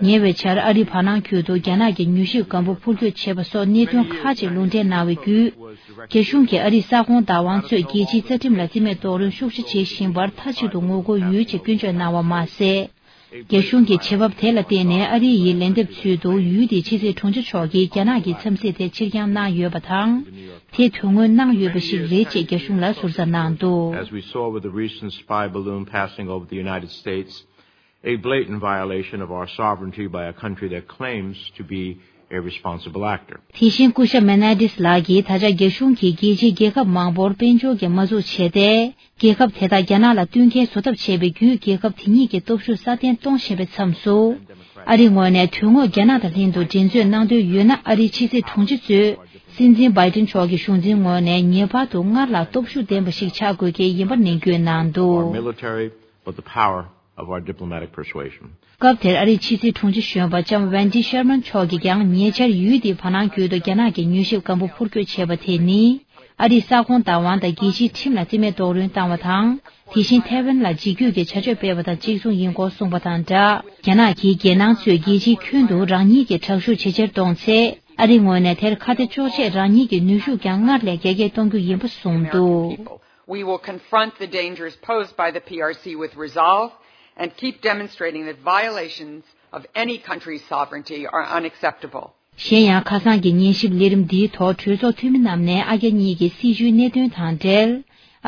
ཉེ་བའི་ཆར་ཨ་རིའི་བར་སྣང་ཁུལ་དུ་རྒྱ་ནག་གི་མྱུལ་ཞིབ་ལྒང་བུ་འཕུར་སྐྱོད་བྱས་པ་སོགས་གནད་དོན་ཁག་ཅིག་ལུང་འདྲེན་གནང་བའི་བརྒྱུད། རྒྱ་གཞུང་གིས་ཨ་རིའི་ས་ཁོངས་བདག་དབང་གཙོས་རྒྱལ་སྤྱིའི་རྩ་ཁྲིམས་ལ་རྩིས་མེད་རྡོག་རོལ་ཤུགས་ཆེ་བྱེད་བཞིན་པར་མཐའ་གཅིག་ཏུ་ངོ་རྒོལ་ཡོད་ཅེས་སྐྱོན་བརྗོད་གནང་བ་མ་ཟད། རྒྱ་གཞུང་གི་བྱེད་བབ་དེ་ལ་བརྟེན་ནས་ཨ་རི་ཡིས་ལན་འདེབས་ཚུལ་དུ་ཡུལ་དེའི་ཕྱི་སྲིད་དྲུང་ཆེ་མཆོག་གིས་རྒྱ་ནག་གི་འཚམས་གཟིགས་དེ་ཕྱིར་འགྱངས་གནང་ཡོད་པ་དང་། དེ་དོན་དངོས་གནང་ཡོད་པ་ཞིག་རེད་ཅེས་རྒྱ་གཞུང་ལ་ཟུར་ཟ་གནང་འདུག As we saw with the recent spy balloon passing over the United States, a blatant violation of our sovereignty by a country that claims to be a responsible actor. དེ་བཞིན་སྐུ་ཞབས་མེ་ནེ་ཏིས་ལགས་ཀྱིས་ད་ཆ་རྒྱ་གཞུང་གིས་རྒྱལ་སྤྱིའི་རྒྱལ་ཁབ་མང་པོར་དཔལ་འབྱོར་གྱི་དམག་འཛུགས་བྱས་ཏེ། རྒྱལ་ཁབ་དེ་དག་རྒྱ་ནག་ལ་བསྟུན་མཁས་བཟོ་ཐབས་བྱས་པའི་བརྒྱུད། རྒྱལ་ཁབ་དེ་གཉིས་ཀྱི་སྟོབས་ཤུགས་སྲ་བརྟན་གཏོང་བཞིན་པའི་མཚམས་སུ། ཨ་རིའི་ངོས་ནས་དོན་དངོས་རྒྱ་ནག་དང་ལྷན་དུ་འགྲན་རྩོད་གནང་འདོད་ཡོད་ན། ཨ་རིའི་ཕྱི་སྲིད་དྲུང་ཆེ་གཙོས་སྲིད་འཛིན་བྷའི་ཏིན་མཆོག་གི་གཞུང་འཛིན་ངོས་ནས་ངེས་པར་དུ་སྔར་ལྷག་སྟོབས་ཤུགས་ལྡན་པ་ཞིག་ཆགས་དགོས་ཀྱི་ཡིན་པ་ནན་སྐུལ་གནང་འདུག Our military, but the power of our diplomatic persuasion. སྐབས་དེར་ཨ་རིའི་ཕྱི་སྲིད་དྲུང་ཆེ་གཞོན་པ་ལྕམ་ཝན་ཏི་ཤར་མན་མཆོག་གིས་ཀྱང་ཉེ་ཆར་ཡུལ་དེའི་བར་སྣང་ཁུལ་དུ་རྒྱ་ནག་གིས་མྱུལ་ཞིབ་ལྒང་བུ་འཕུར་སྐྱོད་བྱས་པ་དེ་ནི། ཨ་རིའི་ས་ཁོངས་བདག་དབང་དང་རྒྱལ་སྤྱིའི་ཁྲིམས་ལ་རྩིས་མེད་རྡོག་རོལ་བཏང་བ་དང་། དེ་བཞིན་ཐའེ་ཝན་ལ་འཇིགས་སྐུལ་གྱི་བྱ་སྤྱོད་སྤེལ་བ་དང་གཅིག་མཚུངས་ཡིན་སྐོར་གསུངས་པ་དང་སྦྲགས། རྒྱ་ནག་གིས་རྒྱལ་ནང་གཙོས་རྒྱལ་སྤྱིའི་ཁྱོན་དུ་རང་ཉིད་ཀྱི་དྲག་ཤུགས་ཇེ་ཆེར་གཏོང་ཚེ། ཨ་རིའི་ངོས་ནས་དེར་ཁ་གཏད་གཅོག་ཆེད་རང་ཉིད་ཀྱི་ནུས་ཤུགས་ཀྱང་སྔར་ལས་རྒྱ་སྐྱེད་གཏོང་རྒྱུ་ཡིན་པ་གསུངས་འདུག We will confront the dangers posed by the P R C with resolve and keep demonstrating that violations of any country's sovereignty are unacceptable. གཞན་ཡང་། ཁ་སང་གི་ཉན་ཞིབ་ལས་རིམ་འདིའི་ཐོག་གྲོས་ཚོགས་འཐུས་མི་རྣམས་ནས་ཨ་རྒྱ་གཉིས་ཀྱི་སྲིད་བྱུས་གནད་དོན་དང་འབྲེལ།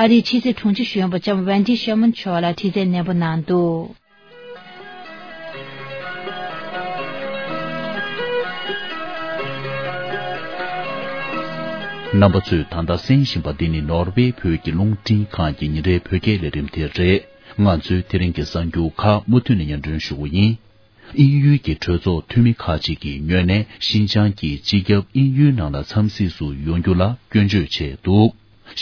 ཨ་རིའི་ཕྱི་སྲིད་དྲུང་ཆེ་གཞོན་པ་ལྕམ་ཝན་ཏི་ཤར་མན་མཆོག་ལ་དྲི་རྩད་ནན་པོ་གནང་འདུག་རྣམ་པ་ཚོས་ད་ལྟ་གསན་བཞིན་པ་འདི་ནི་ནོར་ཝེ་བོད་ཀྱི་རླུང་འཕྲིན་ཁང་གི་ཉིན་རེའི་བོད་སྐད་ལས་རིམ་དེ་རེད། ང་ཚོས་དེ་རིང་གི་གསར་འགྱུར་ཁག་མུ་མཐུད་ནས་སྙན་སྒྲོན་ཞུ་གི་ཡིན། དབྱིན་ཡུལ་གྱི་གྲོས་ཚོགས་འཐུས་མི་ཁག་ཅིག་གི་ངོས་ནས་ཤིན་ཅང་གི་སྤྱི་ཁྱབ་དབྱིན་ཡུལ་ནང་ལ་འཚམས་གཟིགས་སུ་ཡོང་རྒྱུ་ལ་སྐྱོན་བརྗོད་བྱས་འདུག་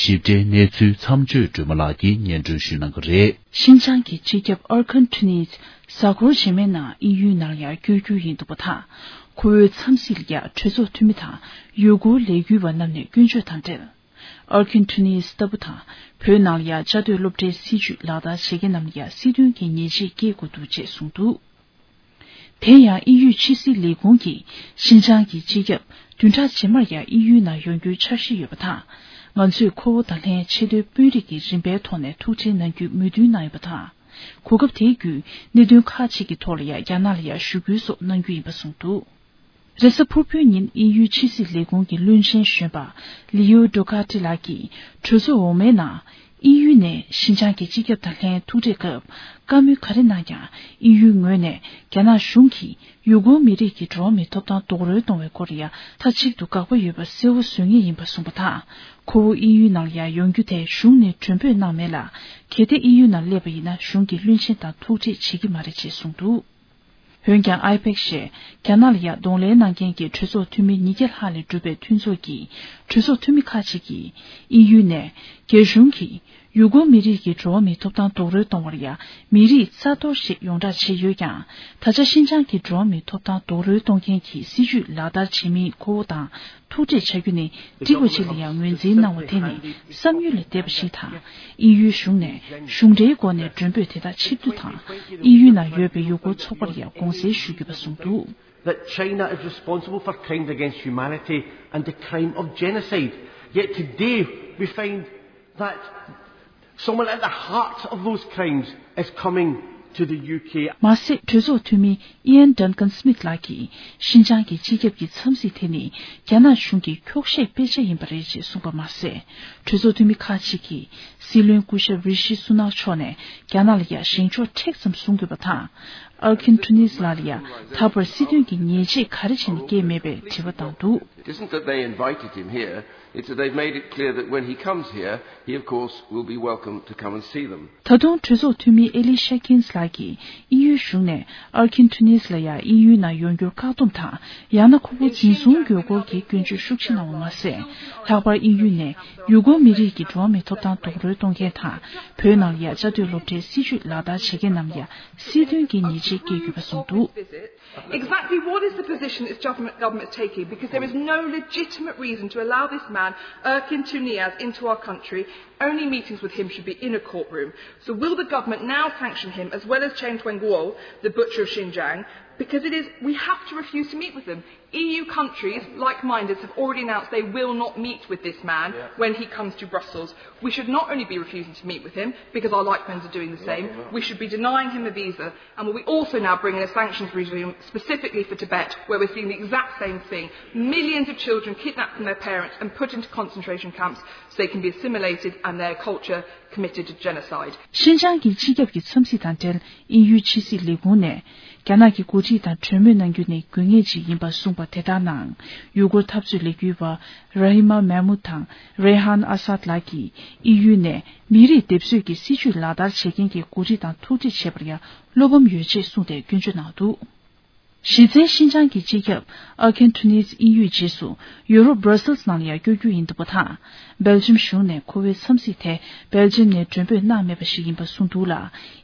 ཞིབ་ཕྲའི་གནས་ཚུལ་མཚམས་གཅོད་སྒྲོལ་མ་ལགས་ཀྱིས་སྙན་སྒྲོན་ཞུ་གནང་གི་རེད། ཤིན་ཅང་གི་སྤྱི་ཁྱབ་ཨར་ཁན་ཁྲི་ནིས་གཟའ་འཁོར་རྗེས་མའི་ནང་དབྱིན་ཡུལ་ནང་ལ་ཡར་བསྐྱོད་རྒྱུ་ཡིན་འདུག་པ་དང་། ཁོ་བོའི་འཚམས་གཟིགས་ལ་ཡ་གྲོས་ཚོགས་འཐུས་མི་དང་ཡུ་གུར་ལས་འགུལ་བ་རྣམས་ནས་སྐྱོན་བརྗོད་དང་འབྲེལ། ཨར་ཁན་ཁྲི་ནིས་ལྟ་བུ་དང་བོད་ནང་ལ་ཡ་བཅའ་སྡོད་སློབ་གྲྭའི་སྲིད་བྱུས་ལག་བསྟར་བྱེད་མཁན་རྣམས་ལ་ཡ་སྲིད་དོན་གྱི་ཉེས་ཆད་བཀལ་དགོས་འདུག་ཅེས་གསུངས་འདུག་དེ་ཡང་དབྱིན་ཡུལ་ཕྱི་སྲིད་ལས་ཁུངས་ཀྱིས་ཤིན་ཅང་གི་སྤྱི་ཁྱབ་བདུན་ཕྲག་རྗེས་མར་ཡང་དབྱིན་ཡུལ་ནང་ཡོང་རྒྱུའི་འཆར་གཞི་ཡོད་པ་དང་། ང་ཚོས་ཁོ་བོ་དང་ལྷན་ཆེས་མཐོའི་དཔོན་རིགས་ཀྱི་རིམ་པའི་ཐོག་ནས་ཐུག་འཕྲད་གནང་རྒྱུའི་མོས་མཐུན་གནང་ཡོད་པ་དང་། གོ་སྐབས་དེའི་བརྒྱུད་གནད་དོན་ཁག་ཅིག་གི་ཐོག་ལ་ཡང་རྒྱ་ནག་ལ་ཡང་ཞུ་སྐུལ་སོགས་གནང་རྒྱུ་ཡིན་པ་གསུངས་འདུག་རེས་གཟའ་ཕུར་བུའི་ཉིན་དབྱིན་ཡུལ་ཕྱི་སྲིད་ལས་ཁུངས་ཀྱི་བློན་ཆེན་གཞོན་པ་ལི་ཡོ་ཌོ་ཁ་ཏི་ལགས་ཀྱིས་གྲོས་ཚོགས་འོག་མའི་ནང་། དབྱིན་ཡུལ་ནས་ཤིན་ཅང་གི་སྤྱི་ཁྱབ་དང་ལྷན་ཐུག་འཕྲད་སྐབས་བཀའ་མོལ་ག་རེ་གནང་ཀྱང་། དབྱིན་ཡུལ་ངོས་ནས་རྒྱ་ནག་གཞུང་གིས་ཡུ་གུར་མི་རིགས་ཀྱི་འགྲོ་བ་མིའི་ཐོབ་ཐང་རྡོག་རོལ་གཏོང་བའི་སྐོར་ཡང་མཐའ་གཅིག་ཏུ་དགག་པ་ཡོད་པ་གསལ་བོ་བཟོ་ངེས་ཡིན་པ་གསུངས་པ་དང་། ཁོ་བོ་དབྱིན་ཡུལ་ནང་ལ་ཡང་ཡོང་རྒྱུ་དེ་གཞུང་ནས་མགྲོན་འབོད་གནང་མེད་ལ། གལ་ཏེ་དབྱིན་ཡུལ་ནང་སླེབས་པ་ཡིན་ན་གཞུང་གིས་བློན་ཆེན་དང་ཐུག་འཕྲད་བྱེད་ཀྱི་མ་རེད་ཅེས་གསུངས་འདུག་འོན་ཀྱང་ཨའི་པེག་ཞེས་རྒྱ་ནག་ལ་ཡང་གདོང་ལེན་གནང་མཁན་གྱི་གྲོས་ཚོགས་འཐུས་མི་ཉིས་བརྒྱ་ལྷག་ལས་གྲུབ་པའི་མཐུན་ཚོགས་ཀྱིས། གྲོས་ཚོགས་འཐུས་མི་ཁག་ཅིག་གིས་དབྱིན་ཡུལ་ནས་རྒྱ་གཞུང་གིས་ཡུ་གུར་མི་རིགས་ཀྱི་འགྲོ་བ་མིའི་ཐོབ་ཐང་རྡོག་རོལ་གཏོང་བར་ཡང་མི་རིགས་རྩ་གཏོར་ཞེས་ཡོངས་བསྒྲགས་བྱས་ཡོད་ཀྱང་། ད་ཆ་ཤིན་ཅང་གི་འགྲོ་བ་མིའི་ཐོབ་ཐང་རྡོག་རོལ་གཏོང་མཁན་གྱི་སྲིད་བྱུས་ལག་བསྟར་བྱེད་མིན་ཁོ་བོ་དང་ཐུག་འཕྲད་བྱ་རྒྱུ་ནི་འགྲིག་པ་ཅིག་ལ་ཡང་ངོས་འཛིན་གནང་བ་དེ་ནི་བསམ་ཡུལ་ལས་འདས་པ་ཞིག་དང་། དབྱིན་ཡུལ་གཞུང་ནས་གཞུང་འབྲེལ་སྒོ་ནས་མགྲོན་འབོད་དེ་དག་ཕྱིར་བསྡུ་དང་། དབྱིན་ཡུལ་ནང་ཡོད་པའི་ཡུ་གུར་ཚོགས་པར་ཡང་དགོངས་སེལ་ཞུ་དགོས་པ་གསུངས་འདུག That China is responsible for crimes against humanity and the crime of genocide. Yet today we find that someone at the heart of those crimes is coming to the U K. མ་ཟད། གྲོས་ཚོགས་འཐུས་མི་Ian Duncan Smith ལགས་ཀྱིས་ཤིན་ཅང་གི་སྤྱི་ཁྱབ་ཀྱི་འཚམས་གཟིགས་དེ་ནི་རྒྱ་ནག་གཞུང་གི་འཁྱོག་བཤད་དཔེ་ཆ་ཡིན་པ་རེད་ཅེས་གསུངས་པ་མ་ཟད། གྲོས་ཚོགས་འཐུས་མི་ཁག་ཅིག་གིས་སྲིད་བློན་སྐུ་ཞབས་རི་ཤི་སུ་ནག་མཆོག་ནས་རྒྱ་ནག་ལ་ཡང་བཞེངས་ཕྱོགས་མཁྲེགས་ཙམ་བཟུང་དགོས་པ་དང་། Erkin Tumnees ལགས་ལ་ཡང་ད་བར་སྲིད་དོན་གྱི་ཉེས་ཆད་ག་རེ་བྱས་ནས་བཀལ་མེད་པའི་དྲི་བ་བཏང་འདུག It isn't that they invited him here, it's that they've made it clear that when he comes here, he of course will be welcome to come and see them. ད་དུང་གྲོས་ཚོགས་འཐུས་མི་Elise Shakins ལགས་ཀྱིས་དབྱིན་ཡུལ་གཞུང་ནས་Erkin Tumnees ལ་ཡང་དབྱིན་ཡུལ་ནང་ཡོང་རྒྱུར་བཀག་སྡོམ་དང་། ཡང་ན་ཁོ་བོ་འཛིན་བཟུང་དགོས་སྐོར་གྱི་སྐྱོན་བརྗོད་ཤུགས་ཆེ་གནང་བ་མ་ཟད། ལྷག་པར་དབྱིན་ཡུལ་ནས་ཡུ་གུར་མི་རིགས་ཀྱི་འགྲོ་བ་མིའི་ཐོབ་ཐང་རྡོག་རོལ་གཏོང་མཁན་དང་། བོད་ནང་ལ་ཡང་བཅའ་སྡོད་སློབ་གྲྭའི་སྲིད་བྱུས་ལག་བསྟར་བྱེད་མཁན་རྣམས་ལ་ཡང་སྲིད་དོན་གྱི་ཉེས་ཆད་བཀལ་དགོས་པ་གསུངས་འདུག Exactly what is the position this government, government is taking? Because there is no legitimate reason to allow this man, Erkin Tumnees, into our country. Only meetings with him should be in a courtroom. So will the government now sanction him, as well as Chen Quanguo, the butcher of Xinjiang? Because it is, we have to refuse to meet with them. E U countries, like-minded, have already announced they will not meet with this man when he comes to Brussels. We should not only be refusing to meet with him, because our like-minded are doing the same, we should be denying him a visa. And we also now bring in a sanctions regime specifically for Tibet, where we're seeing the exact same thing. Millions of children kidnapped from their parents and put into concentration camps so they can be assimilated and their culture committed to genocide. ཤིན་ཅང་གི་སྤྱི་ཁྱབ་ཀྱི་འཚམས་གཟིགས་དང་འབྲེལ། དབྱིན་ཡུལ་ཕྱི་སྲིད་ལས་ཁུངས་ནས་རྒྱ་ནག་གི་འགོ་ཁྲིད་དང་གྲོས་མོལ་གནང་རྒྱུ་ནི་དགོས་ངེས་ཅིག་ཡིན་པ་གསུངས་པ་དེ་དག་ནང་། ཡུ་གུར་འཐབ་རྩོད་ལས་འགུལ་བ་Rahima Mahmood དང་Reyhan Azad ལགས་ཀྱིས་དབྱིན་ཡུལ་ནས་མི་རིགས་སྡེབ་གསོད་ཀྱི་སྲིད་བྱུས་ལག་བསྟར་བྱེད་མཁན་གྱི་འགོ་ཁྲིད་དང་ཐུག་འཕྲད་བྱས་པར་ཡང་བློ་ཕམ་ཡོད་ཅེས་གསུངས་ཏེ་སྐྱོན་བརྗོད་གནང་འདུག་གཞི་རྩའི་ཤིན་ཅང་གི་སྤྱི་ཁྱབ་Erkin Tumnees དབྱིན་ཡུལ་རྗེས་སུ་ཡུ་རོབ་Brussels ནང་ལ་ཡང་བསྐྱོད་རྒྱུ་ཡིན་འདུག་པ་དང་། སྦེལ་ཇམ་གཞུང་ནས་ཁོ་བོའི་འཚམས་གཟིགས་དེ་སྦེལ་ཇམ་ནས་མགྲོན་འབོད་གནང་མེད་པ་ཞིག་ཡིན་པ་གསུངས་འདུག་ལ།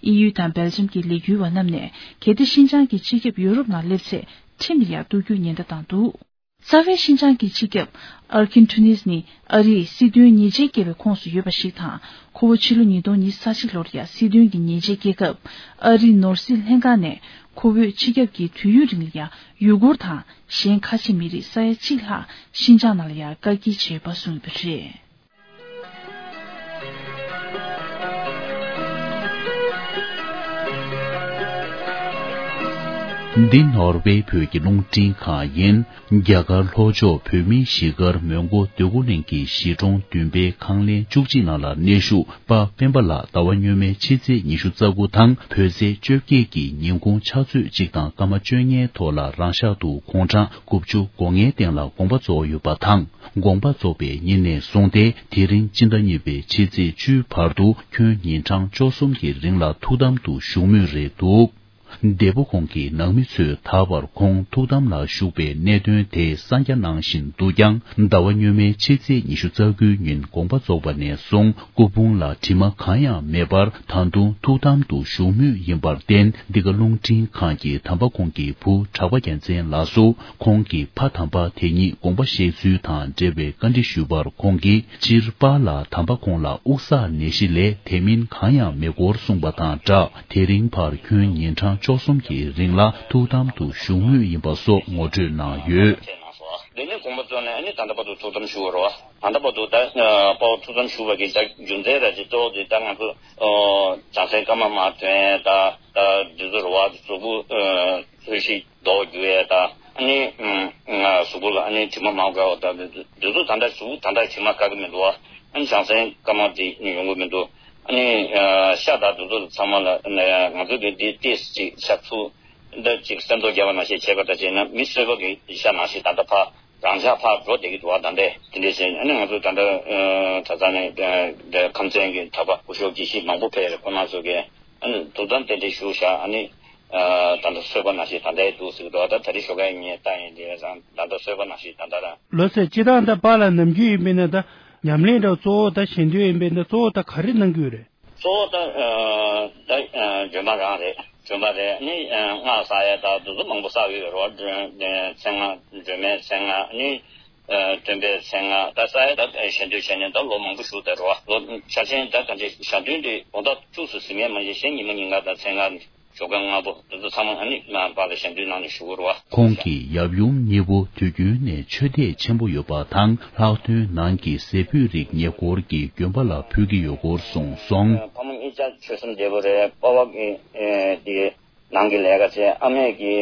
དབྱིན་ཡུལ་དང་སྦེལ་ཇམ་གྱི་ལས་འགུལ་བ་རྣམས་ནས་གལ་ཏེ་ཤིན་ཅང་གི་སྤྱི་ཁྱབ་ཡུ་རོབ་ནང་སླེབས་ཚེ་ཁྲིམས་ལ་ཡང་གཏུག་རྒྱུའི་ཉེན་བརྡ་བཏང་འདུག་རྩ་བའི་ཤིན་ཅང་གི་སྤྱི་ཁྱབ་Erkin Tumnees ནི་ཨ་རིས་སྲིད་དོན་ཉེས་ཆད་བཀལ་བའི་ཁོངས་སུ་ཡོད་པ་ཞིག་དང་། ཁོ་བོ་ཕྱི་ལོ་ཉིས་སྟོང་ཉི་ཤུ་རྩ་གཅིག་ལོར་ཡང་སྲིད་དོན་གྱི་ཉེས་ཆད་བཀལ་སྐབས། ཨ་རིའི་ནོར་སྲིད་ལྷན་ཁང་ནས་ཁོ་བོས་སྤྱི་ཁྱབ་ཀྱི་དུས་ཡུན་རིང་ལ་ཡང་ཡུ་གུར་དང་གཞན་ཁ་ཆེ་མི་རིགས་ས་ཡ་གཅིག་ལྷག་ཤིན་ཅང་ནང་ལ་ཡང་བཀག་སྐྱིལ་བྱས་ཡོད་པ་གསུངས་ཡོད་པ་རེད། འདི་ནོར་ཝེ་བོད་ཀྱི་རླུང་འཕྲིན་ཁང་ཡིན། རྒྱ་གར་ལྷོ་ཕྱོགས་བོད་མིའི་གཞིས་སྒར་མོན་གྷོ་འདོད་རྒུ་གླིང་གི་གཞིས་གྲོང་བདུན་པའི་ཁང་ལེན་བཅུ་གཅིག་ནང་ལ་གནས་བཞུགས་པ་སྤེན་པ་ལགས་ཟླ་བ་སྔོན་མའི་ཕྱི་ཚེས་ཉི་ཤུ་རྩ་དགུ་དང་བོད་ཚེས་བཅོ་བརྒྱད་ཀྱི་ཉིན་གུང་ཕྱག་ཚོད་གཅིག་དང་སྐར་མ་བཅོ་ལྔའི་ཐོག་ལ་རང་ཤག་ཏུ་དགུང་གྲངས་དགུ་བཅུ་གོ་ལྔའི་སྟེང་ལ་དགོངས་པ་རྫོགས་ཡོད་པ་དང་། དགོངས་པ་རྫོགས་པའི་ཉིན་ནས་བཟུང་སྟེ་དེ་རིང་སྤྱི་ཟླ་གཉིས་པའི་ཕྱི་ཚེས་བཅུའི་བར་དུ་ཁྱོན་ཉིན་གྲངས་བཅུ་གསུམ་གྱི་རིང་ལ་ཐུགས་དམ་དུ་བཞུགས་མུས་རེད་འདུག་འདས་པོ་ཁོང་གི་ནང་མི་ཚོས་ད་བར་ཁོང་ཐུགས་དམ་ལ་བཞུགས་པའི་གནད་དོན་དེ་གསང་རྒྱ་གནང་བཞིན་འདུག་ཀྱང་། ཟླ་བ་སྔོན་མའི་ཕྱི་ཚེས་ཉི་ཤུ་རྩ་དགུའི་ཉིན་དགོངས་པ་རྫོགས་པ་ནས་བཟུང་སྐུ་ཕུང་ལ་དྲི་མ་གང་ཡང་མེད་པར་ད་དུང་ཐུགས་དམ་དུ་བཞུགས་མུས་ཡིན་པར་བརྟེན། འདི་ག་རླུང་འཕྲིན་ཁང་གིས་དམ་པ་ཁོང་གི་བུ་གྲགས་པ་རྒྱལ་མཚན་ལགས་སུ་ཁོང་གི་ཕ་དམ་པ་དེ་ཉིད་དགོངས་པ་བཞེས་ཚུལ་དང་འབྲེལ་བའི་བཀའ་འདྲི་ཞུས་པར། ཁོང་གིས་སྤྱིར་པཱ་ལགས་དམ་པ་ཁོང་ལ་དབུགས་བསགས་ནད་གཞི་ལས་དེ་མིན་གང་ཡང་མེད་སྐོར་གསུངས་པ་དང་སྦྲགས། དེ་རིང་ཕར་ཁྱོན་ཉིན་གྲངས་བཅུ་གསུམ་གྱི་རིང་ལ་ཐུགས་དམ་དུ་བཞུགས་མུས་ཡིན་པ་སོགས་ངོ་སྤྲོད་གནང་ཡོད། འདི་ནས་དགོངས་པ་རྫོགས་ནས་ཨ་ནི་ད་ལྟ་བར་དུ་ཐུགས་དམ་བཞུགས་པ་རེད་བ། ད་ལྟ་བར་དུ་ད་དཔའ་བོ་ཐུགས་དམ་བཞུགས་པ་གི་ད་རྒྱུ་མཚན་ར་ཅིག་གཙོ་བོ་དེ་ད་ང་ཚོ་བྱང་སེམས་བཀའ་མ་མ་ཐོན་ད་ད་འདི་ཚོ་རེད་བ། གཟུགས་པོ་ཚོས་ཤིག་རྡོ་རྒྱུ་ཡས་ད་ཨ་ནི་ང་གཟུགས་པོ་ལ་ཨ་ནི་དྲི་མ་མང་དགའ་བ་ད་འདི་ཚོ་ད་ལྟ་གཟུགས་ད་ལྟ་དྲི་མ་དགའ་གི་མི་འདུག་བ། ཨ་ནི་བྱང་སེམས་དཀར་དམར་དེ་ཡོང་གི་མི་འདུག་ཨ་ནི་ཤ་དང་དེ་ཚོ་ཚང་མ་ལ་ང་ཚོ་གི་འདི་ཏིས་ཅིག་ཤ་ཚུགས་འདི་ཅིག་སེམས་ཚོར་རྒྱབ་པ་ནང་བཞིན་བྱས་པ་འདྲ་བྱས་ན་མི་གསོད་པ་གི་ཤ་ནང་བཞིན་ད་ལྟ་ཕར་རང་འཇགས་ཕར་འགྲོ་བསྡད་ཀྱི་འདུག་བ། ད་ལྟའི་དེ་འདྲས་བྱས་ཨ་ནི་ང་ཚོ་ད་ལྟ་གྲྭ་ཚང་ནས་ཁམས་ཚན་གྱི་གྲྭ་པ་སྐུ་ཞབས་དགེ་བཤེས་མང་པོ་ཕེབས་རེད། ཁོང་རྣམ་ཚོ་གིས་ཨ་ནི་ཐུགས་དམ་རྟེན་འབྲེལ་ཞུ་བཞག་ཨ་ནི། ད་ལྟ་གསོད་པ་ནང་བཞིན་ད་ལྟའི་འདུག་ཟེར་གི་འདུག་ད་ད་རེས་ཞོགས་ཀས་ངས་ལྟ་ཡིན་དེ་རང་ད་ལྟ་གསོད་པ་ནང་བཞིན་ད་ལྟ་རང་། ལོ་ཚད་སྤྱི་བཏང་ད་པཱ་ལགས་ནམ་རྒྱུན་ཡིན་པས་ན་ད་ཉམས་ལེན་འདྲ་གཙོ་བོ་ད་ཞལ་འདོན་ཡིན་པས་ན་གཙོ་བོ་ད་ག་རེ་གནང་གི་ཡོད་རེད། གཙོ་བོ་ད་ད་བྱོན་པ་རང་རེད། བྱོན་པ་རེད་ནི་སྔགས་བསགས་ཡས་ད་དུ་དུ་མང་པོ་བསགས་ཡོད་རེད་བ། མཚན་སྔགས་སྒྲོལ་མའི་མཚན་སྔགས་ནི། སྟོན་པའི་མཚན་སྔགས་ད་བསགས་ཡས་ད་ཞལ་འདོན་བྱས་ནས་ད་ལོ་མང་པོ་བཞུགས་བསྡད་རེད་བ། ལོ་ཆ་ཆེན་ད་ག་འདྲ་ཞལ་འདོན་དེ་དགོང་དག་བཅུ་ཙམ་ཟིན་ངེས་མ་ཡིན་གཞན་ཉི་མ་ཉིན་གང་ད་མཚན་སྔགས་ཞོགས་ཀས་སྔ་པོ་དེ་ཚོ་ཚང་མ་ཨ་ནི་མར་པཱ་ལགས་ཞལ་འདོན་གནང་ནས་བཞུགས་ཡོད་རེད་བ། ཁོང་གི་ཡབ་ཡུམ་གཉིས་པོ་དུས་རྒྱུན་ནས་ཆོས་དད་ཆེན་པོ་ཡོད་པ་དང་ལྷག་དོན་ནང་གི་ཟས་ཕུད་རིགས་ཉེ་འཁོར་གྱི་དགོན་པ་ལ་ཕུལ་གྱི་ཡོད་སྐོར་གསུངས་སོང་། ཕ་མ་གཉིས་ཆ་ཆོས་སེམས་བདེ་པོ་རེད། པ་ཕ་གི་དེ་ནང་གི་ལས་ཀ་བྱས། ཨ་མས་ཀྱི་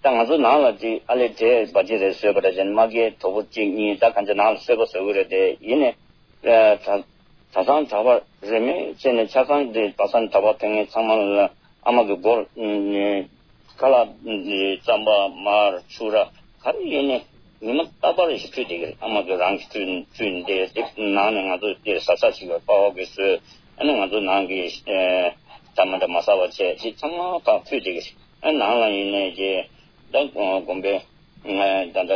ད་ང་ཚོ་ནང་ལ་ཅིག་ཨ་ལེ་འདྲེ་བ་ཅི་རེད་བཟོས་པ་འདྲ་བྱས་ནས་མ་སྐྱེས་གྲོགས་པོ་གཅིག་གཉིས་ད་གང་ཅི་ནང་ལ་གསོད་པ་བཟོ་གི་རེད། དེ་ཡིན་ནས་གྲྭ་ཚང་གྲྭ་པ་རེས་མོས་བྱས་ནས་ཆ་ཚང་དེ་གྲྭ་ཚང་གྲྭ་པ་ཕེབས་མཁན་ཚང་མ་ལ་ཨ་མ་གི་སྒོར་ཁ་ལག་རྩམ་པ་མར་ཕྱུར་ར་ག་རེ་ཡིན་ནས་ཉི་མ་རྟག་པར་ཞིག་ཕུལ་བསྡད་ཀྱི་རེད། ཨ་མ་གི་རང་གི་ཕུལ་ཕུལ་འདས་དེ་ནང་ནས་ང་ཚོ་དེ་ཟ་ས་ཞིག་ཡོད། པ་ཕ་གི་བཟོས་ཨ་ནི་ང་ཚོ་ནང་གི་ད་མ་འདྲ་མ་ཟ་བ་བྱས་དེ་ཚང་མ་ཕར་ཕུལ་བསྡད་ཀྱི་རེད། ཨ་ནང་ལ་ཡིན་ནས་ཀྱི་ད་དགོན་པའི་ད་ལྟ་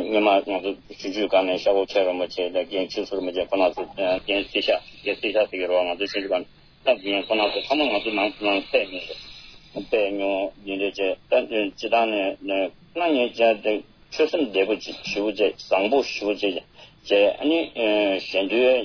སྔོན་མ་ང་ཚོ་ཆུང་ཆུང་སྒང་ནས་ཤ་བོ་ཁྱེད་རོ་མ་བྱས་ད་རྒན་ཆུ་ཚོར་མ་བྱས་ཁོ་ན་ཚོ་རྒན་སྲི་ཤ་རྒན་སྲི་ཤ་ཟེར་གྱི་རོ། ང་ཚོ་ཆུང་ཆུང་སྒང་ནས་ད་རྒན་ཁོ་ན་ཚོ་ཚང་མ་ང་ཚོ་ནང་ནང་བལྟས་མྱོང་རེད། བལྟས་མྱོང་ཡིན་རེད་བྱས་ད་སྤྱི་བཏང་ནས་ཁོ་ན་ངས་བྱས་ཏེ་ཆོས་སེམས་བདེ་པོ་ཅིག་ཞེ་པོ་བྱས་བཟང་པོ་ཞེ་པོ་བྱས་བྱས་ཨ་ནི་གཞན་དོན་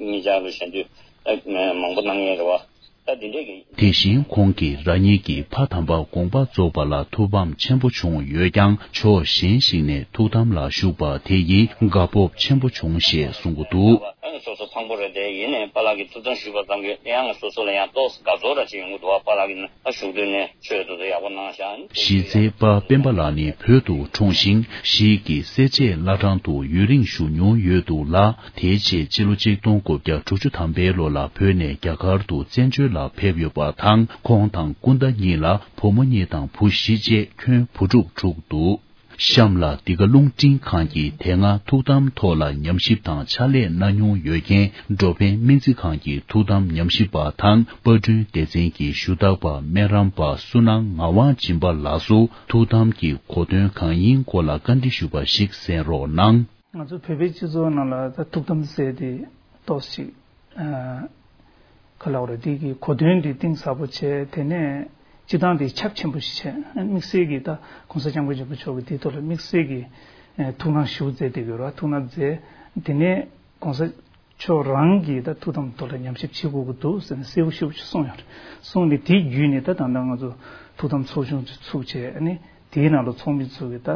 ངེད་ཅག་ལ་གཞན་དོན་མང་པོ་གནང་ཡས་རེད་བ། ད་འདི་འདྲས་ཀྱི། དེ་བཞིན་ཁོང་གིས་རང་ཉིད་ཀྱི་ཕ་དམ་པ་དགོངས་པ་རྫོགས་པ་ལ་ཐུགས་ཕམ་ཆེན་པོ་བྱུང་ཡོད་ཀྱང་ཕྱོགས་གཞན་ཞིག་ནས་ཐུགས་དམ་ལ་བཞུགས་པ་དེ་ཡིས་དགའ་སྤོབས་ཆེན་པོ་བྱུང་ཞེས་གསུང་གི་འདུག་ཨ་ནི་སོ་སོ་ཕངས་པོ་རེད་དེ་ཡིན་ནའི་པཱ་ལགས་ཀྱིས་ཐུགས་དམ་ཞུས་པ་ཙམ་གྱིས་ཡང་སོ་སོ་ལ་ཡང་ཏོག་ཙམ་དགའ་ཚོར་ར་ཅིག་ཡོང་གི་འདུག་བ། པཱ་ལགས་ཀྱིས་ཨ་ཞུགས་དུས་ནས་ཆོས་དེ་ཚོ་ཡག་པོ་གནང་ཤག་གཞིས་རྩེའི་པ་སྤེན་པ་ལགས་ནི་བོད་དུ་འཁྲུངས་ཤིང་གཞིས་ཀྱི་སེར་བྱེས་བླ་བྲང་དུ་ཡུན་རིང་བཞུགས་མྱོང་ཡོད་འདུག་ལ། དེའི་རྗེས་སྤྱི་ལོ་ཆིག་སྟོང་དགུ་བརྒྱ་དྲུག་ཅུ་ཐམ་པའི་ལོ་ལ་བོད་ནས་རྒྱ་གར་དུ་བཙན་བྱོལ་ལ་ཕེབས་ཡོད་པ་དང་ཁོང་དང་སྐུ་ཟླ་གཉིས་ལ་བུ་མོ་གཉིས་དང་བུ་བཞི་བཅས་ཁྱོན་བུ་ཕྲུག་དྲུག་འདུག་གཤམ་ལ་འདི་ག་རླུང་འཕྲིན་ཁང་གིས་དེ་སྔ་ཐུགས་དམ་ཐོག་ལ་ཉམས་ཞིབ་དང་ཕྱག་ལས་གནང་མྱོང་ཡོད་མཁན་འགྲོ་ཕན་སྨན་རྩིས་ཁང་གི་ཐུགས་དམ་ཉམས་ཞིབ་པ་དང་པར་སྐྲུན་སྡེ་ཚན་གྱི་ཞུ་དག་པ་སྨན་རམས་པ་བསོད་ནམས་ངག་དབང་སྦྱིན་པ་ལགས་སུ་ཐུགས་དམ་གྱི་གོ་དོན་གང་ཡིན་སྐོར་ལ་བཀའ་འདྲི་ཞུས་པ་ཞིག་གསན་རོགས་གནང་། ང་ཚོ་བོད་པའི་སྤྱི་ཚོགས་ནང་ལ་ད་ཐུགས་དམ་ཟེར་དེ་ཏོག་ཙམ་ཅིག་ཨ་ག་ལབ་དགོས་རེད། དེ་གི་གོ་དོན་དེ་གཏིང་ཟབ་པོ་བྱས། དེ་ནས་སྤྱི་བཏང་དེ་ཁྱབ་ཆེན་པོ་ཞིག་བྱས། དམིགས་བསལ་གྱི་ད་༸གོང་ས་༸སྐྱབས་མགོན་ཆེན་པོ་མཆོག་གི་དེའི་ཐོག་ལ་དམིགས་བསལ་གྱི་ཨ་ཐུགས་སྣང་ཞེ་པོ་མཛད་བསྡད་ཡོད་རེད་བ། ཐུགས་སྣང་མཛད། དེ་ནས་༸གོང་ས་མཆོག་རང་གིས་ད་ཐུགས་དམ་ཐོག་ལ་ཉམས་ཞིབ་བྱེད་དགོས་ཀྱི་འདུག་ཟེར་ནས་གསལ་པོ་ཞེ་པོ་ཅིག་གསུངས་ཡོད་རེད། གསུངས་ནས་དེའི་བརྒྱུད་ནས་ད་ད་ལྟ་ང་ཚོ་ཐུགས་དམ་ཚོགས་ཆུང་ཅིག་ཚུགས་བྱས། ཨ་ནི་དེའི་ནང་ལ་ཚོགས་མི་ཚོ་གིས་ད་